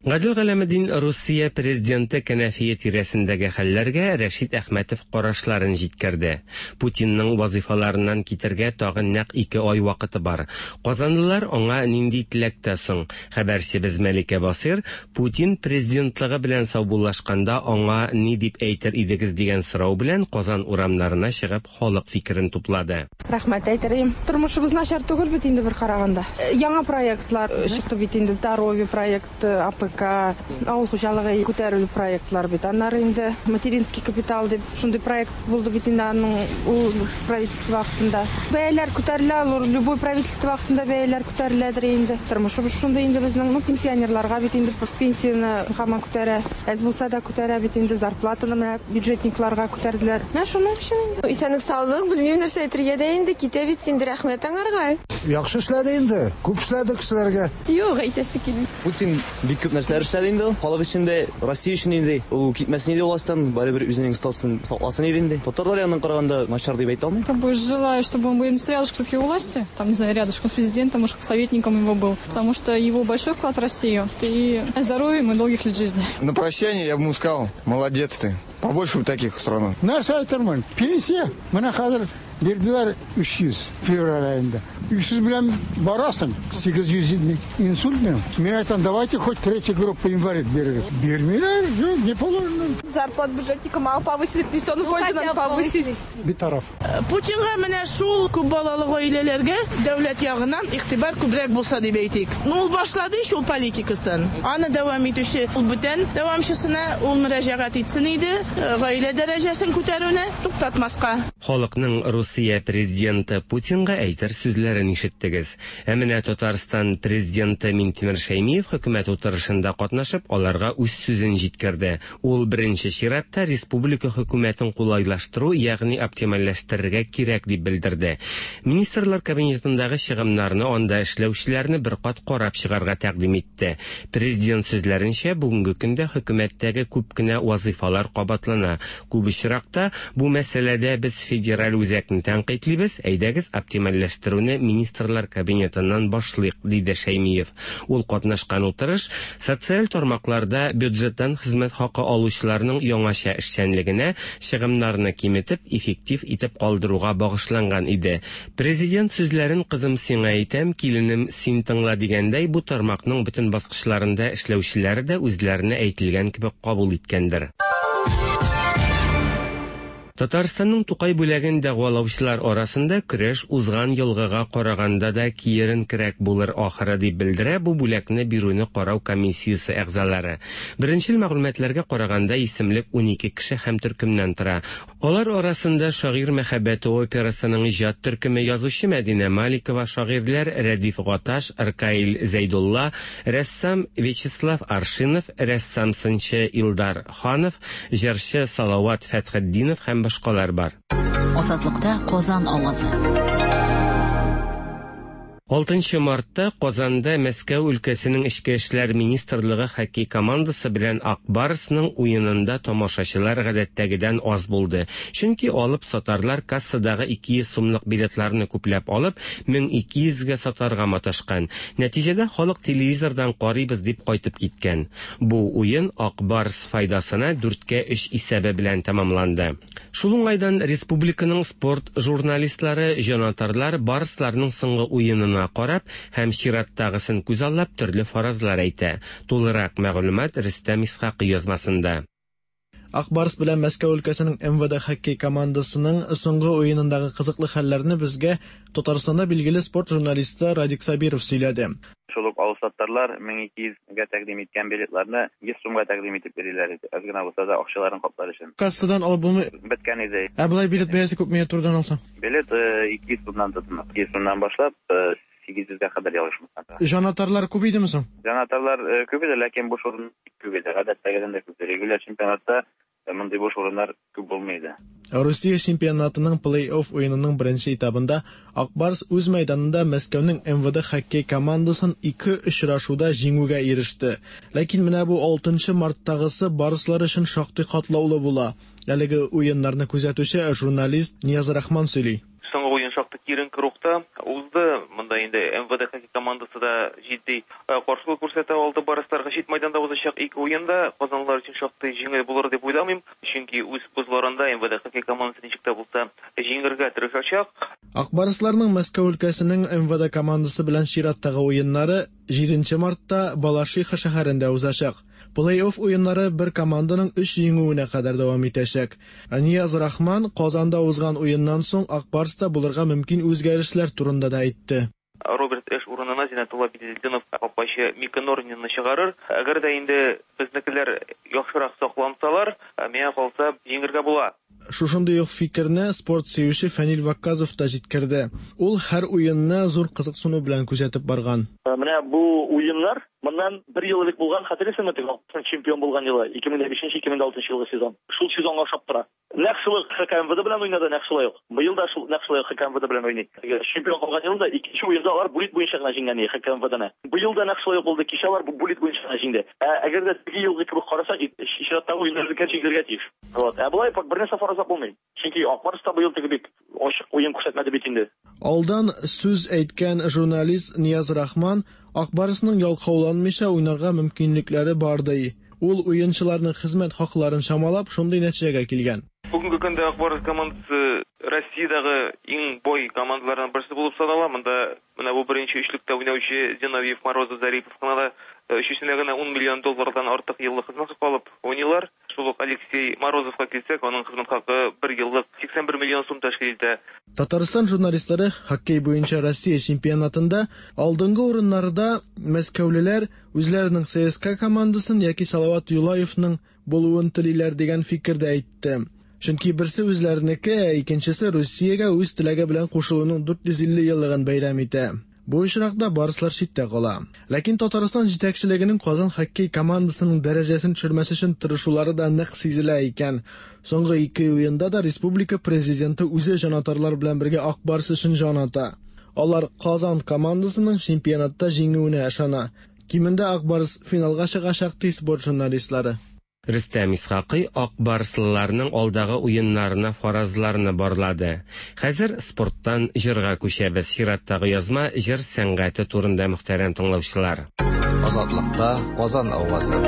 Гадел Галәметдин Русия президенты кәнәфие тирәсендәге хәлләргә Рәшит Әхмәтов карашларын җиткерде. Путинның вазифаларыннан китергә тагын нәкъ ике ай вакыты бар. Казанлылар аңа нинди теләктә соң? Хәбәрчебез Мәликә Басир Путин президентлыгы белән саубуллашканда аңа ни дип әйтер идегез дигән сорау белән Казан урамнарына чыгып халык фикерен туплады. Рәхмәт әйтер идем. Тормышыбыз начар түгел бит инде бер караганда. Яңа проектлар чыкты бит инде, здоровье проекты, А П К, авыл хуҗалыгы күтәрү проектлар бит. Аннары инде материнский капитал дип шундый проект булды бит инде аның ул правительство вакытында. Бәяләр күтәрелә, любой правительство вакытында бәяләр күтәреләдер инде. Тормышыбыз шундый инде безнең, ну, пенсионерларга бит инде пенсияне һаман күтәрә. Әз булса да күтәрә бит инде, зарплатаны менә бюджетникларга күтәрделәр. Менә шуның өчен инде. Исәнлек саулык, белмим нәрсә әйтергә дә инде, китә бит инде, рәхмәт аңарга. Яхшы эшләде инде, күп эшләде кешеләргә. Юк, әйтәсе килми. Путин бик күп нәрсәләр эшләде инде ул. Халык өчен дә, Россия өчен инде. Ул китмәсен иде властьтан, барыбер үзенең статусын сакласын иде инде. Татарлар ягыннан караганда начар дип әйтә алмыйм. Как бы желаю, чтобы он был рядышком все-таки у власти, там, не знаю, рядышком с президентом, может, советником его был, потому что его большой вклад в Россию. И здоровья ему и долгих лет жизни. На прощание я бы ему сказал: молодец ты. Побольше бы таких в страну. Нәрсә әйтермен? Пенсия менә хәзер бирделәр өч йөз февраль аенда. өч йөз белән барасың, сигез йөз инсульт минем. Мин әйтәм, давайте хоть третья группа инвалид бирегез. Бирмиләр, юк, не положено. Зарплат бюджетника мало повысили, пенсионный фонде надо повысить. Битараф. Путинга менә шул күп балалы гаиләләргә дәүләт ягыннан игътибар күбрәк булса дип әйтик. Ну, ул башлады ич ул политикасын. Аны дәвам итүче ул бүтән дәвамчысына ул мөрәҗәгать итсен иде, гаилә дәрәҗәсен күтәрүне туктатмаска. Халыкның Русия президенты Путинга әйтер сүзләре сүзләрен ишеттегез. Ә менә Татарстан президенты Минтимер Шәймиев хөкүмәт утырышында катнашып, аларга үз сүзен җиткерде. Ул беренче чиратта республика хөкүмәтен кулайлаштыру, ягъни оптимальләштерергә кирәк дип белдерде. Министрлар кабинетындагы чыгымнарны, анда эшләүчеләрне бер кат карап чыгарга тәкъдим итте. Президент сүзләренчә, бүгенге көндә хөкүмәттәге күп кенә вазыйфалар кабатлана. Күп очракта бу мәсьәләдә без федераль үзәкне тәнкыйтьлибез, әйдәгез оптимальләштерүне министрлар кабинетыннан башлыйк, диде Шәймиев. Ул катнашкан утырыш социаль тармакларда бюджеттан хезмәт хакы алучыларның яңача эшчәнлегенә чыгымнарны киметеп, эффектив итеп калдыруга багышланган иде. Президент сүзләрен кызым сиңа әйтәм, киленем син тыңла дигәндәй, бу тармакның бөтен баскычларында эшләүчеләр дә үзләренә әйтелгән кебек кабул иткәндер. Татарстанның Тукай бүләген дәгъвалаучылар арасында көрәш узган елгыга караганда да киеренкерәк булыр ахыры дип белдерә бу бүләкне бирүне карау комиссиясе әгъзалары. Беренчел мәгълүматларга караганда исемлек унике кеше һәм төркемнән тора. Алар арасында Шагыйрь мәхәббәте операсының иҗат төркеме, язучы Мәдинә Маликова, шагыйрьләр Рәдиф Гаташ, Ркаил Зәйдулла, рәссам Вячеслав Аршинов, рәссам-сынчы Илдар Ханов, җырчы Салават Фәтхетдинов һәм башкалар бар. Азатлыкта Казан авазы. Алтынчы мартта Казанда Мәскәү өлкәсенең Эчке эшләр министрлыгы хоккей командасы белән Ак Барсның уенында тамашачылар гадәттәгедән аз булды. Чөнки алып сатарлар кассадагы ике йөз сумлык билетларны күпләп алып, мең ике йөзгә сатарга маташкан. Нәтиҗәдә халык телевизордан карыйбыз дип кайтып киткән. Бу уен Ак Барс файдасына дүрткә өч исәбе белән тәмамланды. Шул уңайдан республиканың спорт журналистлары, җанатарлар Барсларның соңгы уенын карап һәм чираттагысын күзаллап төрле фаразлар әйтә. Тулырак мәгълүмат Рөстәм Исхакый язмасында. Ак Барс белән Мәскәү өлкәсенең эм вэ дэ хоккей командасының соңгы уенындагы кызыклы хәлләрне безгә Татарстанда билгеле спорт журналисты Радик Сабиров сөйләде. Шул ук алсаттарлар мең ике йөзгә тәкъдим иткән билетларны йөз сумга тәкъдим итеп бирәләр иде. Аз гына булса да акчаларын каплар өчен. Кассадан алып булмый. Беткән иде. Ә болай билет бәясе күпме турыдан алсаң? Билет ике йөз сумнан тотына. Ике йөз сумнан башлап сигез йөзгә кадәр ялгышмасам. Җанатарлар күп идеме соң? Җанатарлар күп иде, ләкин буш урын күп иде. Гадәттәгедән дә күп. Регуляр чемпионатта мондый буш урыннар күп булмый иде. Русия чемпионатының плей-офф уенының беренче этабында Ак Барс үз мәйданында Мәскәүнең эм вэ дэ хоккей командасын ике очрашуда җиңүгә иреште. Ләкин менә бу алтынчы марттагысы барслар өчен шактый катлаулы була. Әлеге уеннарны күзәтүче журналист Нияз Рахман сөйли. Соңгы уен шактый киеренке рухта узды. Монда инде эм вэ дэ хоккей командасы да җитди каршылык күрсәтә алды барсларга. Чит майданда узачак ике уенда казанлылар өчен шактый җиңел булыр дип уйламыйм, чөнки үз бозларында эм вэ дэ хоккей командасы ничек тә булса җиңергә тырышачак. Ак Барсларның Мәскәү өлкәсенең эм вэ дэ командасы белән чираттагы уеннары җиденче мартта Балашиха шәһәрендә узачак. Плей-офф уеннары бер команданың өч җиңүенә кадәр дәвам итәчәк. Нияз Рахман Казанда узган уеннан соң Ак Барста булырга мөмкин үзгәрешләр турында да әйтте. Роберт Эш урынына Зиннәтулла Беделдинов капкачы Мика Норнинны чыгарыр. Әгәр дә инде безнекеләр яхшырак саклансалар, миңа калса җиңергә була. Шушындый ук фикерне спорт сөюче Фәнил Вакказов та җиткерде. Ул һәр уенны зур кызыксыну белән күзәтеп барган. Менә бу уеннар моннан бер ел элек булган, хәтерлисеңме, теге чемпион булган елы, ике мең бишенче, ике мең алтынчы елгы сезон. Шул сезонга охшап тора. Нәкъ шул ха ка эм вэ дэ белән уйнады, нәкъ шулай ук. Быел да шул нәкъ шулай ха ка эм вэ дэ белән уйный. Чемпион калган елда икенче уенда алар булит буенча гына җиңгән иде ха ка эм вэ дэ-не. Быел да нәкъ шулай ук булды. Кичә алар булит буенча гына җиңде. Ә әгәр дә теге елгы кебек карасак, чираттагы уеннар җиңергә тиеш. Вот. Ә болай бер нәрсә фаразлап булмый. Чөнки Ак Барс та быел теге бик ачык уен күрсәтмәде бит инде. Алдан сүз әйткән журналист Нияз Рахман Ак Барсның ялкауланмыйча уйнарга мөмкинлекләре бар ди. Ул уенчыларның хезмәт хакларын чамалап, шундый нәтиҗәгә килгән. Бүгенге көндә Ак Барс командасы Россиядәге иң бай командаларның берсе булып санала. Монда менә бу беренче өчлектә уйнаучы Зиновьев, Морозов, Зарипов кына да өчесенә генә ун миллион доллардан артык еллык хезмәт хакы алып уйныйлар. Шул ук Алексей Морозовка килсәк, аның хезмәт хакы бер еллык сиксән бер миллион сум тәшкил итә. Татарстан журналистлары хоккей буенча Россия чемпионатында алдынгы урыннарда мәскәүлеләр үзләренең Цэ Эс Ка командасын яки Салават Юлаевның булуын телиләр дигән фикердә әйтте. Чөнки берсе үзләренеке, ә икенчесе Русиягә үз теләге белән кушылуның дүрт йөз илле еллыгын бәйрәм итә. Бу очракта барслар читтә кала. Ләкин Татарстан җитәкчелегенең Казан хоккей командасының дәрәҗәсен төшермәс өчен тырышулары да нык сизелә икән. Соңгы ике уенда да республика президенты үзе җанатарлар белән бергә Ак Барс өчен җан ата. Алар Казан командасының чемпионатта җиңүенә ышана. Кимендә Ак Барс финалга чыгачак, ди спорт журналистлары. Рөстәм Исхакый Ак Барслыларның алдагы уеннарына фаразларны барлады. Хәзер спорттан җырга күчәбез. Чираттагы язма җыр сәнгате турында, мөхтәрәм тыңлаучылар. Азатлыкта Казан авазы.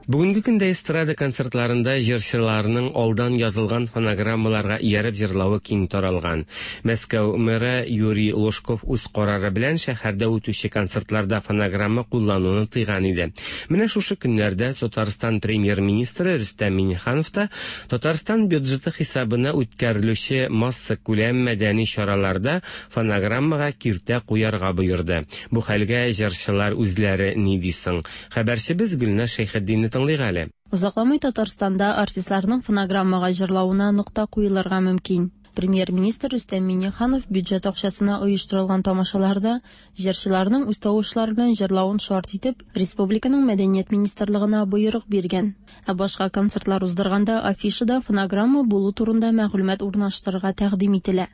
Бүгенге көндә эстрада концертларында җырчыларның алдан язылган фонограммаларга ияреп җырлавы киң таралган. Мәскәү мэры Юрий Лужков үз карары белән шәһәрдә үтүче концертларда фонограмма куллануны тыйган иде. Менә шушы көннәрдә Татарстан премьер-министры Рөстәм Миңнеханов та Татарстан бюджеты хисабына үткәрелүче массакүләм мәдәни чараларда фонограммага киртә куярга боерды. Бу хәлгә җырчылар үзләре ни ди соң? Хәбәрчебез Гөлназ Шәйхетдинов тыңлыйк әле. Озакламый Татарстанда артистларның фонограммага җырлавына нокта куелырга мөмкин. Премьер-министр Рөстәм Миңнеханов бюджет акчасына оештырылган тамашаларда җырчыларның үз тавышлары белән җырлавын шарт итеп, республиканың мәдәният министрлыгына боерык биргән. Ә башка концертлар уздырганда афишада фонограмма булу турында мәгълүмат урнаштырырга тәкъдим ителә.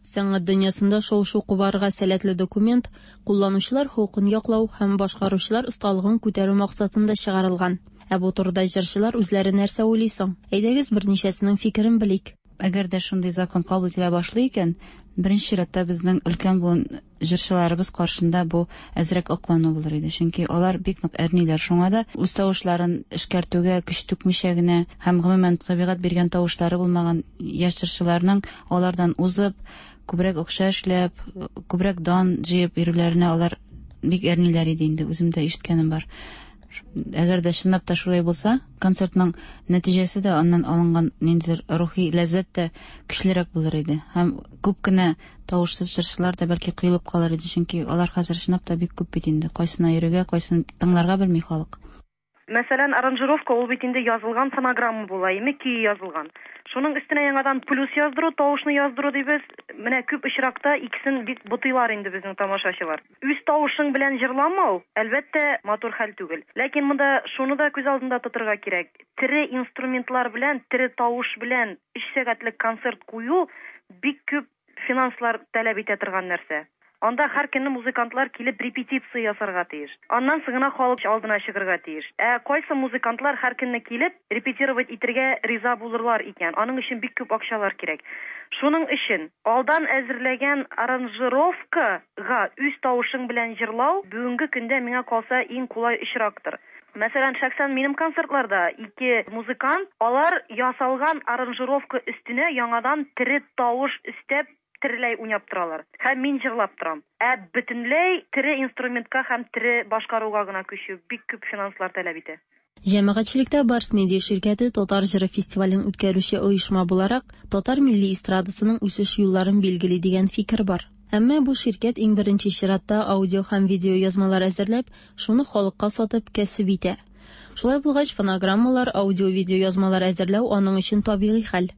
Сәнгать дөньясында шау-шу кубарырга сәләтле документ кулланучылар хокукын яклау һәм башкаручылар осталыгын күтәрү максатында чыгарылган. Ә бу турыда җырчылар үзләре нәрсә уйлый соң? Әйдәгез берничәсенең фикерен белик. Әгәр дә шундый закон кабул ителә башлый икән, беренче чиратта безнең өлкән буын җырчыларыбыз каршында бу әзрәк аклану булыр иде. Чөнки алар бик нык әрниләр. Шуңа да үз тавышларын эшкәртүгә көч түкмичә генә һәм гомумән табигать биргән тавышлары булмаган яшь җырчыларның алардан узып, күбрәк акча эшләп, күбрәк дан җыеп йөрүләренә алар бик әрниләр иде инде, үзем дә ишеткәнем бар. Әгәр дә чынлап та шулай булса, концертның нәтиҗәсе дә, аннан алынган ниндидер рухи ләззәт тә көчлерәк булыр иде. Һәм күп кенә тавышсыз җырчылар да бәлки коелып калыр иде, чөнки алар хәзер чынлап та бик күп бит инде. Кайсына йөрергә, кайсын тыңларга белми халык. Мәсәлән, аранжировка ул бит инде язылган фонограмма була, име көе язылган. Шуның өстенә яңадан плюс яздыру, тавышны яздыру дибез. Менә күп очракта икесен бик бутыйлар инде безнең тамашачылар. Үз тавышың белән җырламау, әлбәттә, матур хәл түгел. Ләкин монда шуны да күз алдында тотырга кирәк. Тере инструментлар белән, тере тавыш белән өч сәгатьлек концерт кую бик күп финанслар таләп итә торган нәрсә. Анда һәр көнне музыкантлар килеп репетиция ясарга тиеш. Аннан соң гына халык алдына чыгарга тиеш. Ә кайсы музыкантлар һәр көнне килеп репетировать итәргә риза булырлар икән? Аның өчен бик күп акчалар кирәк. Шуның өчен алдан әзерләгән аранжировкага үз тавышың белән җырлау бүгенге көндә миңа калса иң кулай очрактыр. Мәсәлән, шәхсән минем концертларда ике музыкант, алар ясалган аранжировка өстенә яңадан тере тавыш өстәп тереләй уйнап торалар. Һәм мин җырлап торам. Ә бөтенләй тере инструментка һәм тере башкаруга гына күчү бик күп финанслар таләп итә. Җәмәгатьчелектә Барс Медиа ширкәте Татар җыры фестивален үткәрүче оешма буларак, татар милли эстрадасының үсеш юлларын билгели дигән фикер бар. Әмма бу ширкәт иң беренче чиратта аудио һәм видео язмалар әзерләп, шуны халыкка сатып кәсеп итә. Шулай булгач, фонограммалар, аудио-видео язмалар әзерләү аның өчен табигый хәл.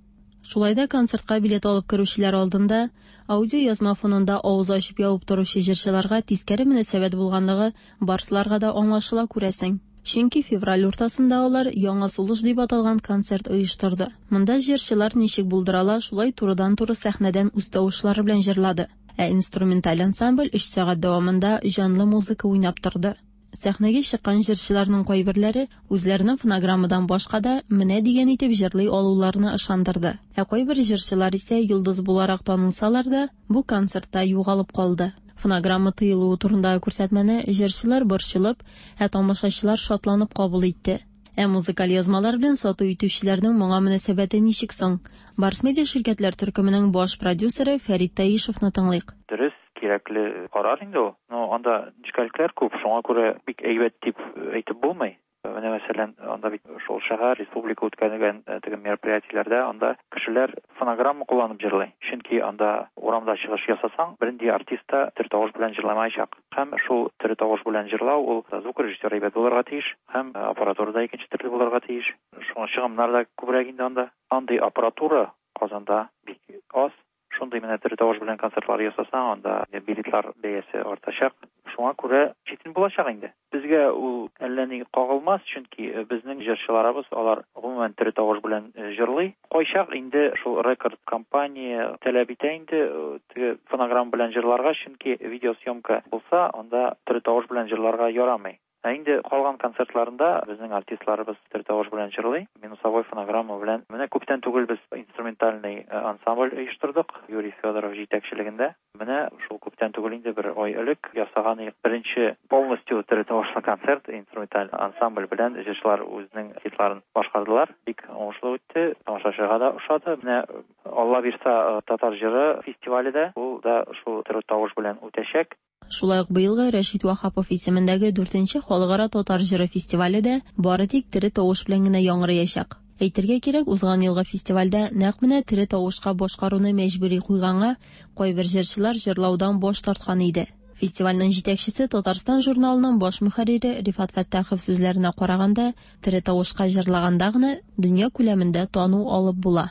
Шулай да концертка билет алып керүчеләр алдында аудио язма фонында авыз ачып ябып торучы җырчыларга тискәре мөнәсәбәт булганлыгы барсларга да аңлашыла, күрәсең. Чөнки февраль уртасында алар Яңа сулыш дип аталган концерт оештырды. Монда җырчылар ничек булдырала, шулай турыдан-туры сәхнәдән үз тавышлары белән җырлады. Ә инструменталь ансамбль өч сәгать дәвамында җанлы музыка уйнап торды. Сәхнәгә чыккан җырчыларның кайберләре үзләренең фонограммадан башка да менә дигән итеп җырлый алуларына ышандырды. Ә кайбер җырчылар исә йолдыз буларак танылсалар да, бу концертта югалып калды. Фонограмма тыелуы турындагы күрсәтмәне җырчылар борчылып, ә тамашачылар шатланып кабул итте. Ә музыкаль язмалар белән сату итүчеләрнең моңа мөнәсәбәте ничек соң? Барс Медиа ширкәтләр төркеменең баш продюсеры Фәрит Таишевны тыңлыйк. Дөрес, кирәкле карар инде ул. Но анда нечкәлекләр күп, шуңа күрә бик әйбәт дип әйтеп булмый. Менә мәсәлән, анда бит шул шәһәр, республика үткәргән теге мероприятиеләрдә анда кешеләр фонограмма кулланып җырлый. Чөнки анда урамда чыгыш ясасаң, бернинди артист та тере тавыш белән җырламаячак. Һәм шул тере тавыш белән җырлау ул звукорежиссер әйбәт булырга тиеш, һәм аппаратура да икенче төрле булырга тиеш. Шуңа чыгымнар да күбрәк инде анда. Андый аппаратура Казанда бик аз. Шундый менә тере тавыш белән концертлар ясасаң, анда билетлар бәясе артачак. Шуңа күрә читен булачак инде. Безгә ул әллә ни кагылмас, чөнки безнең җырчыларыбыз алар гомумән тере тавыш белән җырлый. Кайчак инде шул рекорд компания таләп итә инде теге фонограмма белән җырларга, чөнки видеосъемка булса, анда тере тавыш белән җырларга ярамый. Ә инде калган концертларында безнең артистларыбыз тере тавыш белән җырлый, минусовой фонограмма белән. Менә күптән түгел без инструментальный ансамбль оештырдык Юрий Федоров җитәкчелегендә. Менә шул күптән түгел инде бер ай элек ясаган беренче полностью тере тавышлы концерт инструменталь ансамбль белән җырчылар үзенең хитларын башкардылар. Бик уңышлы үтте, тамашачыга да ошады. Менә Алла бирса татар җыры фестивале дә ул да шул тере тавыш белән үтәчәк. Шулай ук быелгы Рәшит Ваһапов исемендәге дүртенче халыкара татар җыры фестивале дә бары тик тере тавыш белән генә яңгыраячак. Әйтергә кирәк, узган елгы фестивальдә нәкъ менә тере тавышка башкаруны мәҗбүри куйганга кайбер җырчылар җырлаудан баш тарткан иде. Фестивальнең җитәкчесе Татарстан журналының баш мөхәррире Рифат Фәттахов сүзләренә караганда, тере тавышка җырлаганда гына дөнья күләмендә тану алып була.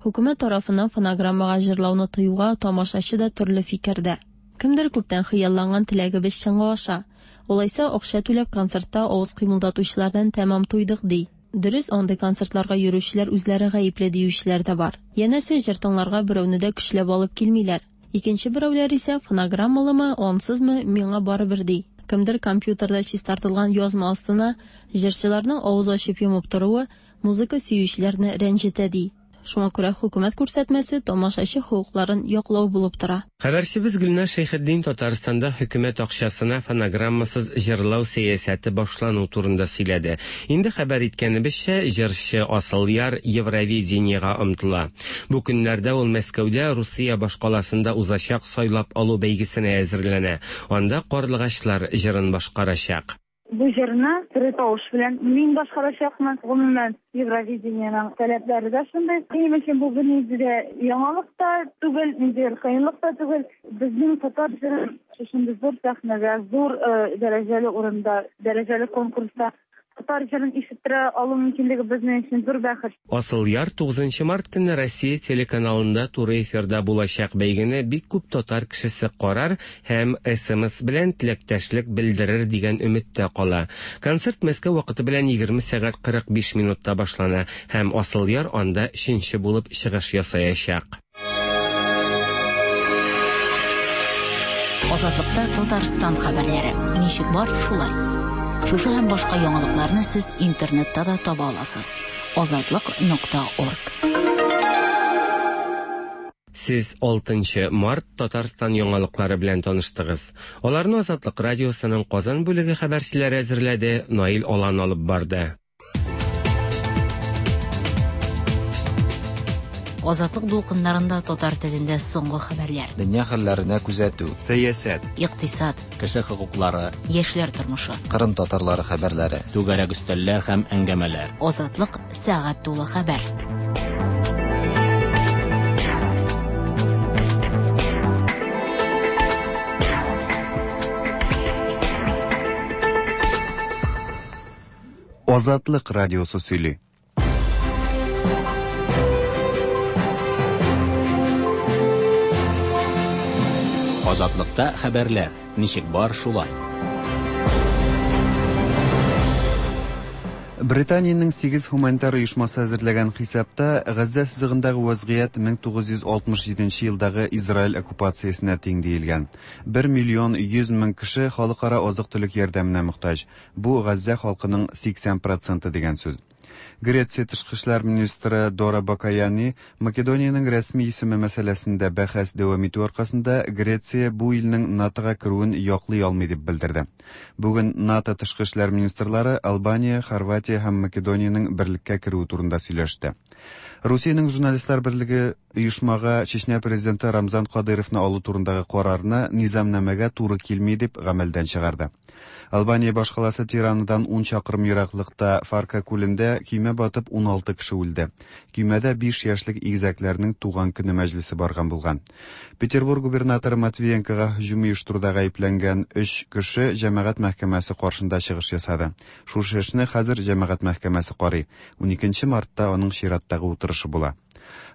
Хөкүмәт тарафыннан фонограммага җырлауны тыюга тамашачы да төрле фикердә. Кемдер күптән хыялланган теләгебез чынга аша. Алайса акча түләп концертта авыз кыймылдатучылардан тәмам туйдык ди. Дөрес, андый концертларга йөрүчеләр үзләре гаепле диючеләр дә бар. Янәсе җыр тыңларга берәүне дә көчләп алып килмиләр. Икенче берәүләр исә фонограммалымы, ансызмы, миңа барыбер ди. Кемдер компьютерда чистартылган язма астына җырчыларның авыз ачып йомып торуы музыка сөючеләрне рәнҗетә ди. Шуңа күрә хөкүмәт күрсәтмәсе тамашачы хокукларын яклау булып тора. Хәбәрчебез Гөлназ Шәйхетдин Татарстанда хөкүмәт акчасына фонограммасыз җырлау сәясәте башлану турында сөйләде. Инде хәбәр иткәнебезчә, җырчы Асылъяр Евровидениега омтыла. Бу көннәрдә ул Мәскәүдә Русия башкаласында узачак сайлап алу бәйгесенә әзерләнә. Анда Карлыгачлар җырын башкарачак. Бу җырны тере тавыш белән мин башкарачакмын. Гомумән, Евровидениеның таләпләре дә шундый. Минем өчен бу бернинди дә яңалык та түгел, ниндидер кыенлык та түгел. Безнең татар җырын шушындый зур сәхнәдә, зур дәрәҗәле урында, дәрәҗәле конкурста татар җырын ишеттерә алу мөмкинлеге безнең өчен зур бәхет. Асылъяр тугызынчы март көнне Россия телеканалында туры эфирда булачак бәйгене бик күп татар кешесе карар һәм эс эм эс белән теләктәшлек белдерер дигән өметтә кала. Концерт Мәскәү вакыты белән егерме сәгать кырык биш минутта башлана һәм Асылъяр анда өченче булып чыгыш ясаячак. Азатлыкта Татарстан хәбәрләре. Ничек бар, шулай. Шушы һәм башка яңалыкларны сез интернетта да таба аласыз. азатлык нокта орг. Сез алтынчы март Татарстан яңалыклары белән таныштыгыз. Аларны Азатлык радиосының Казан бүлеге хәбәрчеләре әзерләде, Наил Алан алып барды. Азатлык дулкыннарында татар телендә соңгы хәбәрләр. Дөнья хәлләренә күзәтү, сәясәт, икътисад, кеше хокуклары, яшьләр тормышы, Кырым татарлары хәбәрләре, түгәрәк өстәлләр һәм әңгәмәләр. Азатлык сәгать тулы хәбәр. Азатлык радиосы сөйли. Азатлыкта хәбәрләр ничек бар шулай. Британиянең сигез һуманитар оешмасы әзерләгән хисапта Газзә сызыгындагы вазгыять мең тугыз йөз алтмыш җиденче елдагы Израиль оккупациясенә тиң диелгән. бер миллион йөз мең кеше халыкара азык-төлек ярдәменә мохтаҗ. Бу Газзә халкының сиксән проценты дигән сүз. Греция тышкы эшләр министры Дора Бакаяни Македониянең рәсми исеме мәсьәләсендә бәхәс дәвам итү аркасында Греция бу илнең НАТОга керүен яклый алмый дип белдерде. Бүген НАТО тышкы эшләр министрлары Албания, Хорватия һәм Македониянең берлеккә керүе турында сөйләште. Русиянең журналистлар берлеге оешмага Чечня президенты Рамзан Кадыровны алу турындагы карарны низамнамәгә туры килми дип гамәлдән чыгарды. Албания башкаласы Тиранадан ун чакрым ераклыкта Фарка күлендә көймә батып уналты кеше үлде. Көймәдә биш яшьлек игезәкләрнең туган көне мәҗлесе барган булган. Петербург губернаторы Матвиенкога һөҗүм оештыруда гаепләнгән өч кеше җәмәгать мәхкәмәсе каршында чыгыш ясады. Шушы эшне хәзер җәмәгать мәхкәмәсе карый. Уникенче мартта аның чираттагы утырышы була.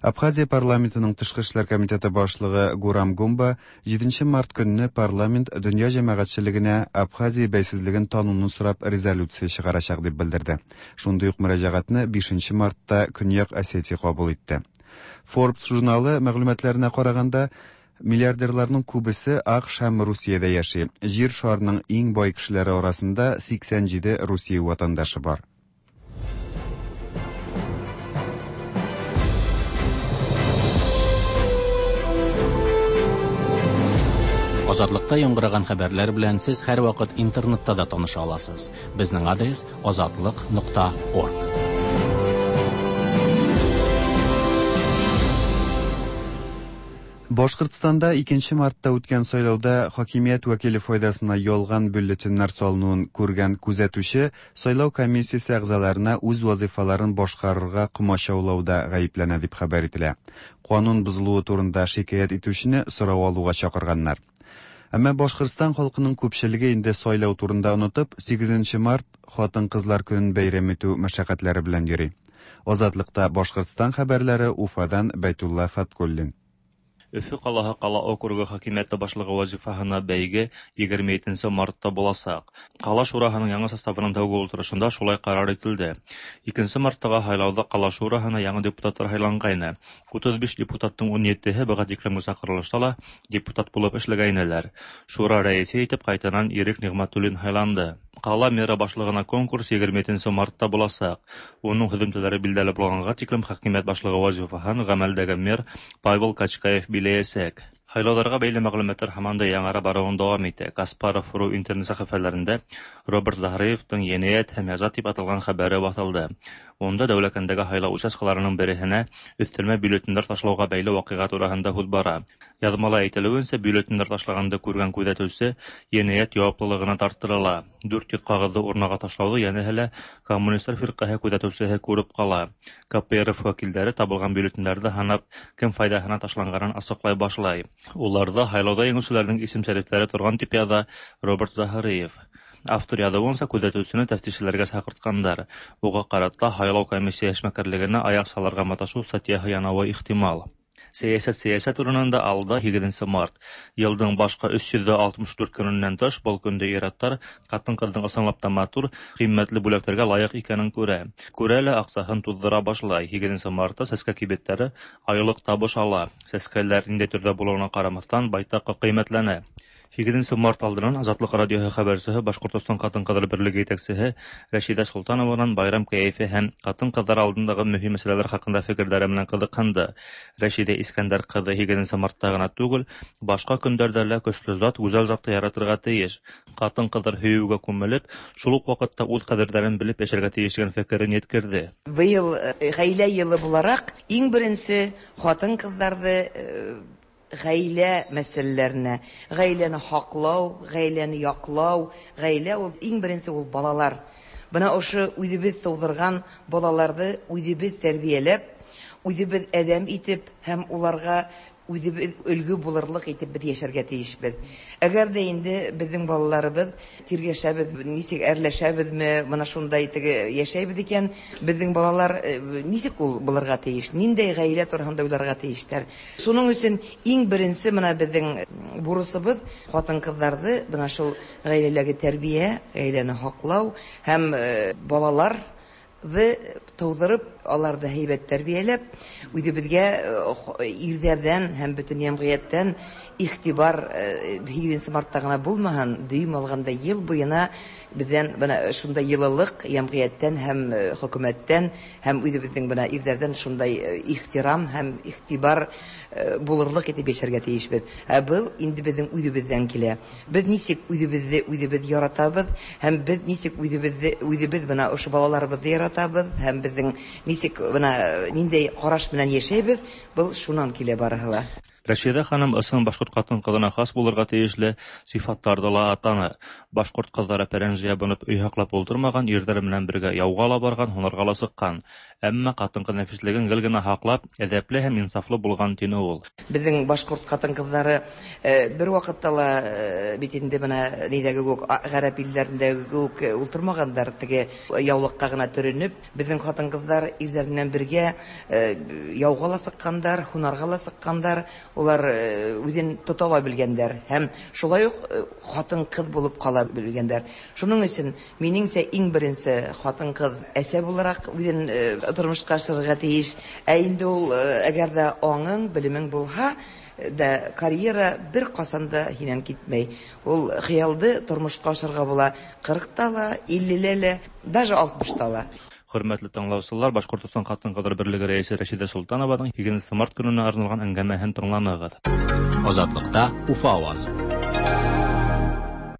Абхазия парламентының тышкы эшләр комитеты башлыгы Гурам Гумба җиденче март көнне парламент дөнья җәмәгатьчелегенә Абхазия бәйсезлеген тануны сорап резолюция чыгарачак дип белдерде. Шундый ук мөрәҗәгатьне бишенче мартта Көньяк Осетия кабул итте. Forbes журналы мәгълүматларына караганда, миллиардерларның күбесе АКШ һәм Русиядә яши. Җир шарының иң бай кешеләре арасында сиксән җиде Русия ватандашы бар. Азатлыкта яңгыраган хәбәрләр белән сез һәрвакыт интернетта да таныша аласыз. Безнең адрес азатлык нокта орг. Башкортстанда икенче мартта үткән сайлауда хакимият вәкиле файдасына ялган бюллетеннәр салынуын күргән күзәтүче сайлау комиссиясе әгъзаларына үз вазифаларын башкарырга комачаулауда гаепләнә дип хәбәр ителә. Канун бозылуы турында шикаять итүчене сорау алуга чакырганнар. Әмма Башкортстан халкының күпчелеге инде сайлау турында онытып, сигезенче март хатын-кызлар көнен бәйрәм итү мәшәкатьләре белән йөри. Азатлыкта Башкортстан хәбәрләре Уфадан Бәйтулла Фаткуллин. Өфө ҡалаһы ҡала округы хакимиәте башлығы вазифаһына бәйге егерме етенсе мартта буласаҡ. Ҡала шураһының яңы составының тәүге ултырышында шулай ҡарар ителде. Икенсе марттағы һайлауҙа ҡала шураһына яңы депутаттар һайланғайны. Утыҙ биш депутаттың ун етеһе быға тиклемге саҡырылышта ла депутат булып эшләгәйнеләр. Шура рәйесе итеп ҡайтанан Ирек Ниғмәтуллин һайланды. Ҡала мэра башлығына конкурс егерме етенсе мартта буласаҡ. Уның һөҙөмтәләре билдәле булғанға тиклем хакимиәт башлығы вазифаһын ғәмәлдәге мэр Павел Качкаев биләйәсәк. Һайлауҙарға бәйле мәғлүмәттәр һаман да яңара барыуын дауам итә. Каспаров ру интернет сәхифәләрендә Роберт Заһриевтың енәйәт һәм яза тип аталған хәбәре баҫылды. Унда Дәүләкәндәге һайлау участкаларының береһенә өҫтәлмә бюллетендәр ташлауға бәйле ваҡиға тураһында һүҙ бара. Яҙмала әйтелеүенсә, бюллетендәр ташлағанды күргән күҙәтеүсе енәйәт яуаплылығына тарттырыла. Дүрт йөҙ ҡағыҙҙы урнаға ташлауҙы йәнәһе лә Коммунистар фирҡәһе күҙәтеүсеһе күреп ҡала. Ка Пэ Эр Эф вәкилдәре табылған бюллетендәрҙе һанап, кем файҙаһына ташланғанын асыҡлай башлай. Уларҙа һайлауҙа еңеүселәрҙең исем-шәрифтәре торған тип яҙа Роберт Заһриев. Автор яҙыуынса, күҙәтеүсене тәфтишселәргә саҡыртҡандар. Уға ҡарата һайлау комиссия эшмәкәрлегенә аяҡ салырға маташыу статьяһы янауы ихтимал. Сәйәсәт сәйәсәт урынында алда һигеҙенсе март. Йылдың башҡа өс йөҙ алтмыш дүрт көнөнән тыш был көндә ир-аттар ҡатын-ҡыҙҙың ысынлап та матур, ҡиммәтле бүләктәргә лайыҡ икәнен күрә. Күрә лә аҡсаһын туҙҙыра башлай. Һигеҙенсе мартта сәскә кибеттәре айлыҡ табыш ала. Сәскәләр ниндәй төрҙә булыуына ҡарамаҫтан байтаҡ ҡиммәтләнә. Һигеҙенсе март алдынан Азатлыҡ радиоһы хәбәрсеһе Башҡортостан ҡатын-ҡыҙҙар берлеге етәксеһе Рәшиҙә Солтанованан байрам кәйефе һәм ҡатын-ҡыҙҙар алдындағы мөһим мәсьәләләр хаҡында фекерҙәре менән ҡыҙыҡһынды. Рәшиҙә Искәндәр ҡыҙы һигеҙенсе мартта ғына түгел, башҡа көндәрҙә лә көслө зат, гүзәл затты яратырға тейеш. Ҡатын-ҡыҙҙар һөйөүгә күмелеп, шул уҡ ваҡытта үҙ ҡәҙерҙәрен белеп йәшәргә тейеш тигән фекерен еткерҙе. Быйыл ғаилә йылы булараҡ иң беренсе ҡатын-ҡыҙҙарҙы ғаилә мәсьәләләренә, ғаиләне һаҡлау, ғаиләне яҡлау, ғаилә ул иң беренсе ул балалар. Бына ошо үҙебеҙ тыуҙырған балаларҙы үҙебеҙ тәрбиәләп, үҙебеҙ әҙәм итеп һәм уларға үҙебеҙ өлгө булырлыҡ итеп беҙ йәшәргә тейешбеҙ. Әгәр ҙә инде беҙҙең балаларыбыҙ тиргәшәбеҙ, нисек әрләшәбеҙме, бына шундай теге йәшәйбеҙ икән, беҙҙең балалар нисек ул булырға тейеш, ниндәй ғаилә тураһында уйларға тейештәр. Шуның өсөн иң беренсе бына беҙҙең бурысыбыҙ ҡатын-ҡыҙҙарҙы бына шул ғаиләләге тәрбиә, ғаиләне һаҡлау һәм балалар тыуҙырып, аларҙы һәйбәт тәрбиәләп, үҙебеҙгә ирҙәрҙән һәм бөтөн йәмғиәттән иғтибар һигеҙенсе мартта ғына булмаһын, дөйөм алғанда йыл буйына беҙҙән бына шундай йылылыҡ йәмғиәттән һәм хөкүмәттән һәм үҙебеҙҙең бына ирҙәрҙән шундай ихтирам һәм иғтибар булырлыҡ итеп йәшәргә тейешбеҙ. Ә был инде беҙҙең үҙебеҙҙән килә. Беҙ нисек үҙебеҙҙе үҙебеҙ яратабыҙ һәм беҙ нисек үҙебеҙҙе үҙебеҙ бына ошо балаларыбыҙҙы яратабыҙ һәм беҙҙең нисек бына ниндәй ҡараш менән йәшәйбеҙ, был шунан килә барыһы ла. Рәшидә ханым ысын башҡорт ҡатын-ҡыҙына хас булырға тейешле сифаттарҙы ла атаны. Башҡорт ҡыҙҙары пәрәнж ябынып өй һаҡлап ултырмаған, ирҙәре менән бергә яуға ла барған, һунарға ла сыҡҡан. Әммә ҡатын-ҡыҙ нәфислеген гел генә һаҡлап, әҙәпле һәм инсафлы булған, тине ул. Беҙҙең башҡорт ҡатын-ҡыҙҙары бер ваҡытта ла бит инде бына ниҙәге кеүек, ғәрәп илдәрендәге кеүек ултырмағандар, теге яулыҡҡа ғына төрөнөп. Беҙҙең ҡатын-ҡыҙҙар ирҙәр менән бергә яуға ла сыҡҡандар, һунарға ла сыҡҡандар, улар үҙен тота ла белгәндәр һәм шулай уҡ ҡатын-ҡыҙ булып ҡала белгәндәр. Шуның өсөн минеңсә иң беренсе ҡатын-ҡыҙ әсә булараҡ үҙен тормошҡа ашырырға тейеш. Ә инде ул әгәр ҙә аңың, белемең булһа, да карьера бер ҡасан да һинән китмәй. Ул хыялды тормошҡа ашырға була ҡырҡта ла, иллелә лә, даже алтмышта ла. Хөрмәтле тыңлаусылар, Башҡортостан Ҡатын-ҡыҙҙар берлеге рәйесе Рәшидә Солтанованың һигеҙенсе март көнөнә арналған әңгәмәһен тыңланығыҙ. Азатлыҡта Уфа ауазы.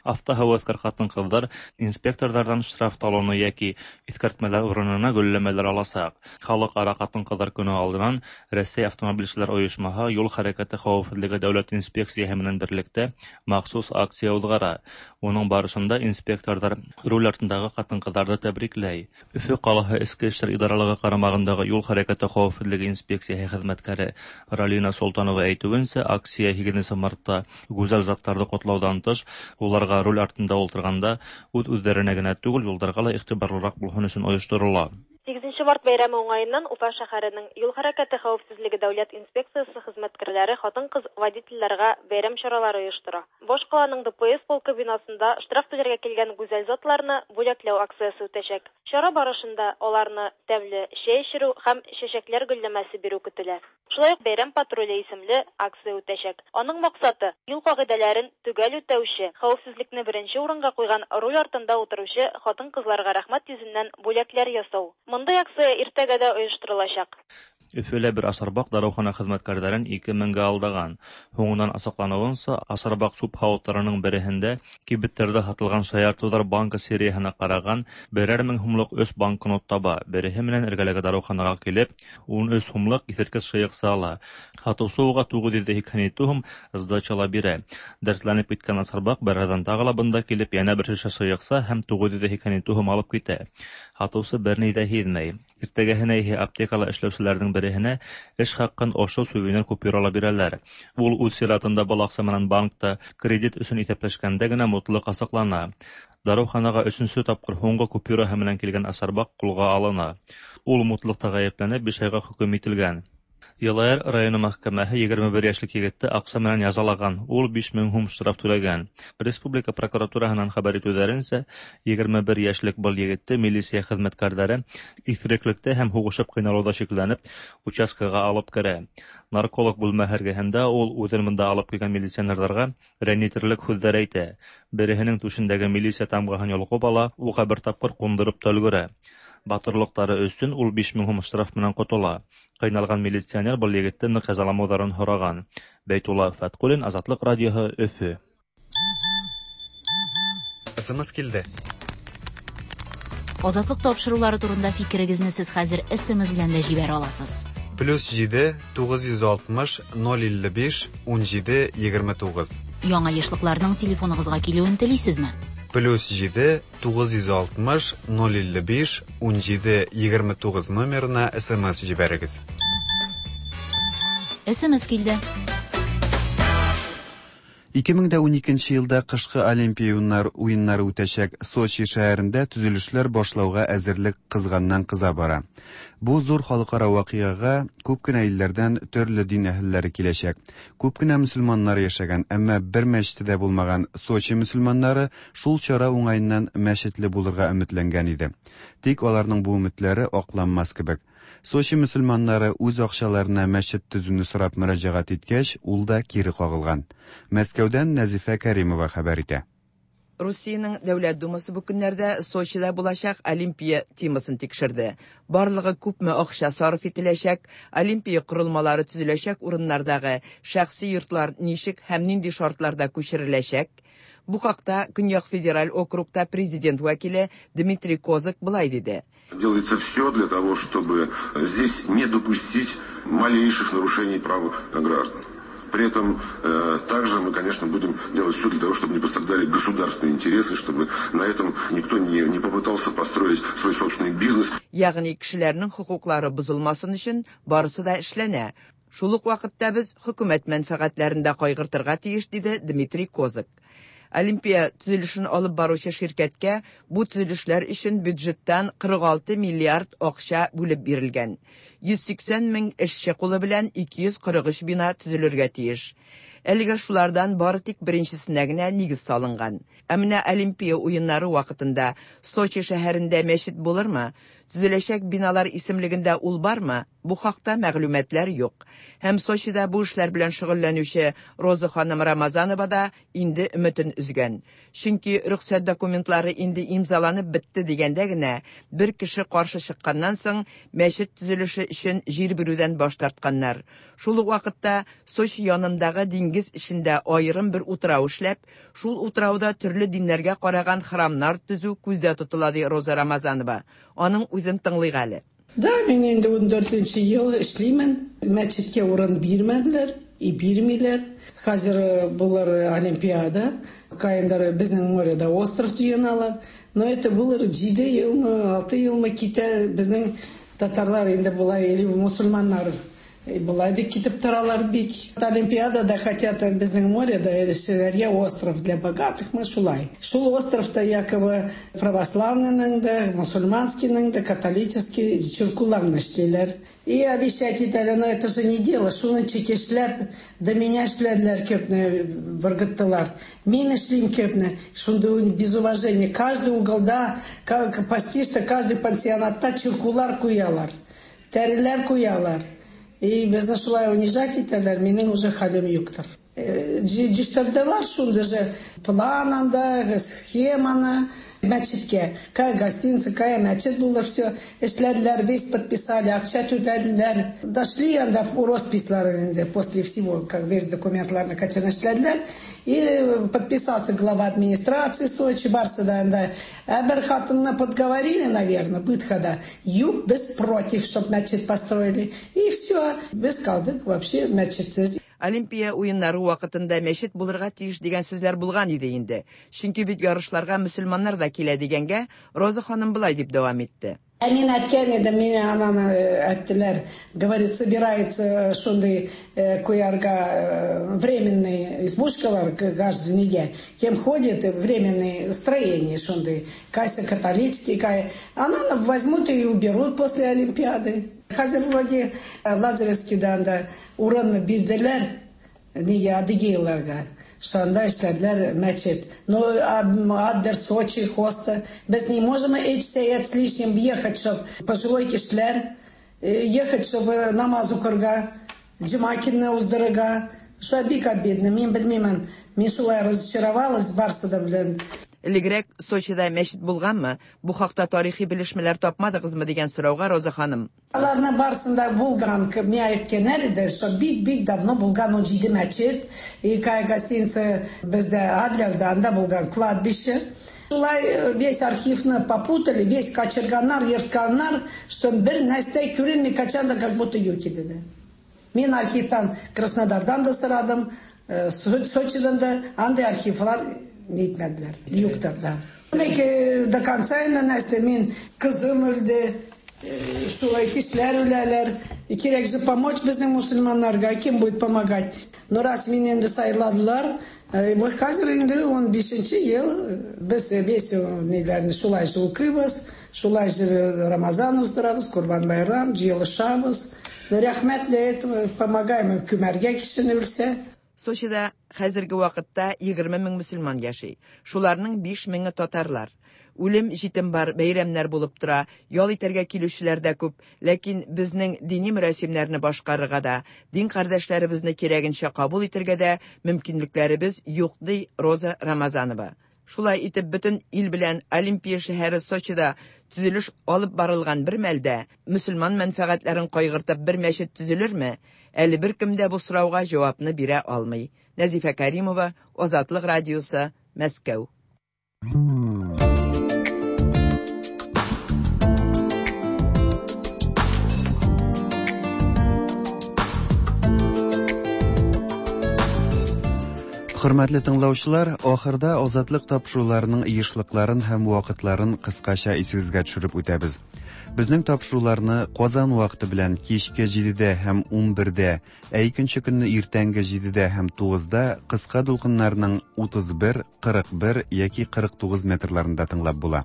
Автоһәүәҫкәр ҡатын-ҡыҙҙар инспекторҙарҙан штраф талоны йәки иҫкәртмәләр урынына гөлләмәләр аласаҡ. Халыҡ-ара ҡатын-ҡыҙҙар көнө алдынан Рәсәй автомобилселәр ойошмаһы юл хәрәкәте хәүефһеҙлеге дәүләт инспекцияһы менән берлектә махсус акция уҙғара. Уның барышында инспекторҙар руль артындағы ҡатын-ҡыҙҙарҙы тәбрикләй. Өфө ҡалаһы Эске эштәр идаралығы ҡарамағындағы юл хәрәкәте хәүефһеҙлеге инспекцияһы хеҙмәткәре Ралина Солтанова әйтеүенсә, акция һигеҙенсе мартта гүзәл заттарҙы ҡотлауҙан тыш, уларға руль артында ултырғанда үҙ-үҙҙәренә генә түгел, юлдарға ла иғтибарлыраҡ булһын өсөн ойошторола. Һигеҙенсе март бәйрәме уңайынан Уфа шәһәренең юл хәрәкәте хәүефһеҙлеге дәүләт инспекциясы хеҙмәткәрләре ҡатын-ҡыҙ водителдәргә бәйрәм саралары ойоштора. Баш ҡаланың Д П С полкы бинасында штраф түләргә килгән гүзәл затларны бүләкләү акциясы үтәсәк. Чара барышында аларны тәмле чәй эчерү һәм чәчәкләр гөлләмәсе биреү көтөлә. Шулай уҡ бәйрәм патруле исемле акция үтәсәк. Аның маҡсаты юл ҡағиҙәләрен төгәл үтәүсе, хәүефһеҙлекне беренсе урынға ҡуйған руль артында ултырыусы ҡатын-ҡыҙларға рәхмәт йөҙөннән бүләкләр ясау. Мындай акция иртәгә дә ойоштороласаҡ. Өфөлә бер асарбаҡ дарыухана хеҙмәткәрҙәрен ике меңгә алдаған. Һуңынан асыҡланыуынса, асарбаҡ сүп һауыттарының береһендә кибеттәрҙә һатылған шаяртыуҙар банкы серияһына ҡараған берәр мең һумлыҡ өс банкнот таба. Береһе менән эргәләге дарыуханаға килеп, ун өс һумлыҡ иҫерткес шыйыҡса ала. Һатыусы уға туғыҙ йөҙ һикһән ете һум сдача ла бирә. Дәртләнеп киткән асарбаҡ бер аҙҙан тағы ла бында килеп, йәнә бер шешә шыйыҡса һәм туғыҙ йөҙ һикһән ете һум алып китә. Һатыусы бер ни ҙә һиҙмәй. Иртәгәһенә иһә аптекала эшләүселәрҙең береһенә эш хаҡын ошо сувенир купюрала бирәләр. Ул үҙ сиратында был аҡса менән банкта кредит өсөн иҫәпләшкәндә генә мотлаҡ асыҡлана. Дарыуханаға өсөнсө тапҡыр һуңғы купюраһы менән килгән асарбаҡ ҡулға алына. Ул мутлыҡта ғәйепләнеп биш айға хөкөм ителгән. Йылайыр районы мәхкәмәһе егерме бер йәшлек егетте аҡса менән язалаған. Ул биш мең һум штраф түләгән. Республика прокуратураһынан хәбәр итеүҙәренсә, егерме бер йәшлек был егетте милиция хеҙмәткәрҙәре иҫереклектә һәм һуғышып ҡыйналыуҙа шикләнеп участкаға алып керә. Нарколог бүлмәһе эргәһендә ул үҙен бында алып килгән милиционерҙарға рәнйетерлек һүҙҙәр әйтә. Береһенең түшендәге милиция тамғаһын йолҡоп ала, уға бер тапҡыр ҡундырып та өлгөрә. Батырлыҡтары өсөн ул биш мең һум штраф менән ҡотола. Ҡыйналған милиционер был егетте ныҡ язаламауҙарын һораған. Бәйтулла Фәтҡуллин, Азатлыҡ радиоһы, Өфө. С М С килде. Азатлыҡ тапшырыулары турында фикерегеҙҙе һеҙ хәҙер С М С белән дә җибәрә аласыз. Плюс җиде, тугыз йөз алтмыш, ноль илле биш, ун җиде, егерме тугыз. Яңа ешлыкларның телефоныгызга килүен телисезме? Плюс җиде, тугыз йөз алтмыш, ноль илле биш, ун җиде, егерме тугыз номерына С М С җибәрегез. С М С килде. ике мең дә уникенче елда кышкы Олимпия уеннары үтәчәк Сочи шәһәрендә төзелешләр башлауга әзерлек кызганнан кыза бара. Бу зур халыкара вакыйгага күп кенә илләрдән төрле дин әһелләре киләчәк. Күп кенә мөселманнар яшәгән, әмма бер мәчете дә булмаган Сочи мөселманнары шул чара уңаеннан мәчетле булырга өметләнгән иде. Тик аларның бу өметләре акланмас кебек. Сочи мөселманнары үз акчаларына мәчет төзүне сорап мөрәҗәгать иткәч, ул да кире кагылган. Мәскәүдән Нәзифә Кәримова хәбәр итә. Русиянең Дәүләт Думасы бу көннәрдә Сочида булачак Олимпия темасын тикшерде. Барлыгы күпме акча сарыф ителәчәк, Олимпия корылмалары төзеләчәк урыннардагы шәхси йортлар ничек һәм нинди шартларда күчереләчәк? Бу хакта Көньяк федераль округта президент вәкиле Дмитрий Козак былай диде. Делается все для того, чтобы здесь не допустить малейших нарушений прав граждан. При этом э, также мы, конечно, будем делать все для того, чтобы не пострадали государственные интересы, чтобы на этом никто не, не попытался построить свой собственный бизнес. Ягъни кешеләрнең хокуклары бозылмасын өчен барысы да эшләнә. Шул ук вакытта без хөкүмәт мәнфәгатьләрен дә кайгыртырга тиеш, диде Дмитрий Козак. Олимпия төзелешен алып баручы ширкәткә бу төзелешләр өчен бюджеттан кырык алты миллиард акча бүлеп бирелгән. Йөз сиксән мең эшче кулы белән ике йөз кырык өч бина төзелергә тиеш. Әлегә шулардан бары тик беренчесенә генә нигез салынган. Ә менә Олимпия уеннары вакытында Сочи шәһәрендә мәчет булырмы? Төзеләчәк биналар исемлегендә ул бармы? Бу хакта мәгълүматлар юк. Һәм Сочида бу эшләр белән шөгыльләнүче Роза ханым Рамазанова да инде өметен өзгән. Чөнки рөхсәт документлары инде имзаланып бетте дигәндә генә бер кеше каршы чыкканнан соң мәчет төзелеше өчен җир бирүдән баш тартканнар. Шул ук вакытта Сочи янындагы диңгез эчендә аерым бер утрау эшләп, шул утрауда төрле диннәргә караган храмнар төзү күздә тотыла, ди Роза Рамазанова. Аның үзен тыңлыйк әле. Да, мин инде ун дүртенче ел эшлимен. Мәчеткә урын бирмәделәр, и бирмиләр. Хәзер булыр Олимпиада, каендар безнең моряда остров җыеналар. Но это булыр җиде елмы, алты елмы китә безнең татарлар инде булай или мусульманнар Болай да китеп торалар бик. Олимпиадада хотят безнең моряда эшләргә остров для богатых, мы шулай. Шул островта якобы православныйның да, мусульманскийның да, католический чиркуларны эшлиләр. И обещать итәләр, но это же не дело. Шуны чекешләп, до меня эшләделәр көпне, выргыттылар. Мин эшлим көпне. Шунда без уважения. Каждый уголда, почти что каждый пансионатта чиркулар куялар. Тәреләр куялар. И безне шулай унижать итәләр, минем уже хәлем юктыр. Җыштырдылар шунда же план анда, схеманы, мәчеткә. Кая гостиница, кая мәчет булыр, все. Эшләделәр, весь подписали, акча түләделәр. Дошли анда в росписьлар инде после всего, как весь документларны качан эшләделәр. И подписался глава администрации Сочи, барсы да анда. Ә бер хатынны подговорили, наверное, бытхада. Юк, без против, чтоб мәчет построили. И все, без калдык вообще мәчетсез. Олимпия уеннары вакытында мәчет булырга тиеш дигән сүзләр булган иде инде. Чөнки бит ярышларга мөселманнар да килә дигәнгә Роза ханым былай дип дәвам итте. Ә мин әйткән идем, мине ананы әйттеләр, говорит, собирается шундый куярга временный избушкалар каждый неделю. Кем ходит, временное строение шундый, кайсы католический, кай. Ананы возьмут и уберут после Олимпиады. Хәзер вроде Лазаревскийда анда урынны бирделәр, нигә адыгейларга. Шунда эшләделәр мәчет. Но Аддер, Сочи, Хоста. Без не можем эч сәгать с лишним ехать, чтоб пожилой кешеләр ехать, чтобы намаз укырга, җомакинны уздырырга. Шулай бик обидно. Мин белмимен. Мин шулай разочаровалась барсы да белән. Элегрәк Сочида мәчет булганмы? Бу хакта тарихи белешмәләр тапмадыгызмы дигән сорауга Роза ханым. Аларны барсында булган, миңа әйткәннәр иде, что бик-бик давно булган ун җиде мәчет, и кая гостиница бездә Адлерда анда булган кладбище. Шулай весь архивны попутали, весь качырганнар, ертканнар, что бер нәрсә күренми, качан да как будто юк иде. Мин архивтан Краснодардан да сорадым, Сочидан да, андый архивлар нитмәделәр, юктыр да. До конца инде нәрсә, мин кызым үлде, шулай кешеләр үләләр. Кирәк же помочь безнең мусульманнарга, кем будет помогать? Но раз мине инде сайладылар, вот хәзер инде ун бишенче ел без весь ниләрне шулай же укыйбыз, шулай же Рамазан уздырабыз, Курбан байрам, җыелышабыз. Рәхмәт для этого помогаем күмәргә кешене үлсә. Сочида хәзерге вакытта егерме мең мөселман яши. Шуларның биш меңе татарлар. Үлем җитем бар, бәйрәмнәр булып тора, ял итәргә килүчеләр дә күп, ләкин безнең дини мөрәсимнәрне башкарырга да, дин кардәшләребезне кирәгенчә кабул итәргә дә мөмкинлекләребез юк, ди Роза Рамазанова. Шулай итеп бөтен ил белән Олимпия шәһәре Сочида төзелеш алып барылган бер мәлдә мөселман мәнфәгатьләрен кайгыртып бер мәчет төзелерме? Әле бер кем дә бу сорауга җавапны бирә алмый. Нәзифә Каримова, Азатлык радиосы, Мәскәү. Хөрмәтле тыңлаучылар, ахырда Азатлык тапшыруларының ешлыкларын һәм вакытларын кыскача исегезгә төшереп үтәбез. Безнең тапшыруларны Казан вакыты белән кичке җидедә һәм унбердә, ә икенче көнне иртәнге җидедә һәм тугызда кыска дулкыннарның утыз бер, кырык бер яки кырык тугыз метрларында тыңлап була.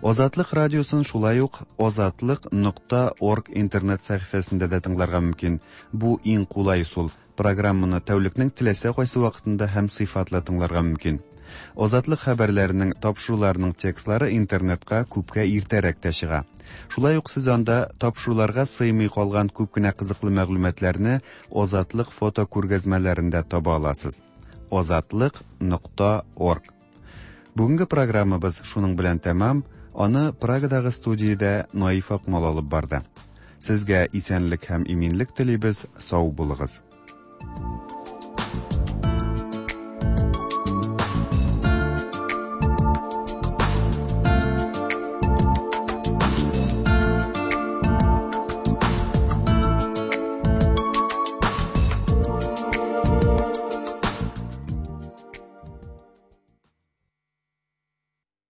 Азатлык радиосын шулай ук азатлык нокта орг интернет сәхифәсендә дә тыңларга мөмкин. Бу иң кулай ысул. Программаны тәүлекнең теләсә кайсы вакытында һәм сыйфатлы тыңларга мөмкин. Азатлык хәбәрләренең, тапшыруларының текстлары интернетка күпкә иртәрәк тә чыга. Шулай ук сез анда тапшыруларга сыймый калган күп кенә кызыклы мәгълүматларны Азатлык фото күргәзмәләрендә таба аласыз. Азатлык нокта орг. Бүгенге программабыз шуның белән тәмам. Аны Прагадагы студиядә Наиф Акмал алып барды. Сезгә исәнлек һәм иминлек телибез, сау булыгыз.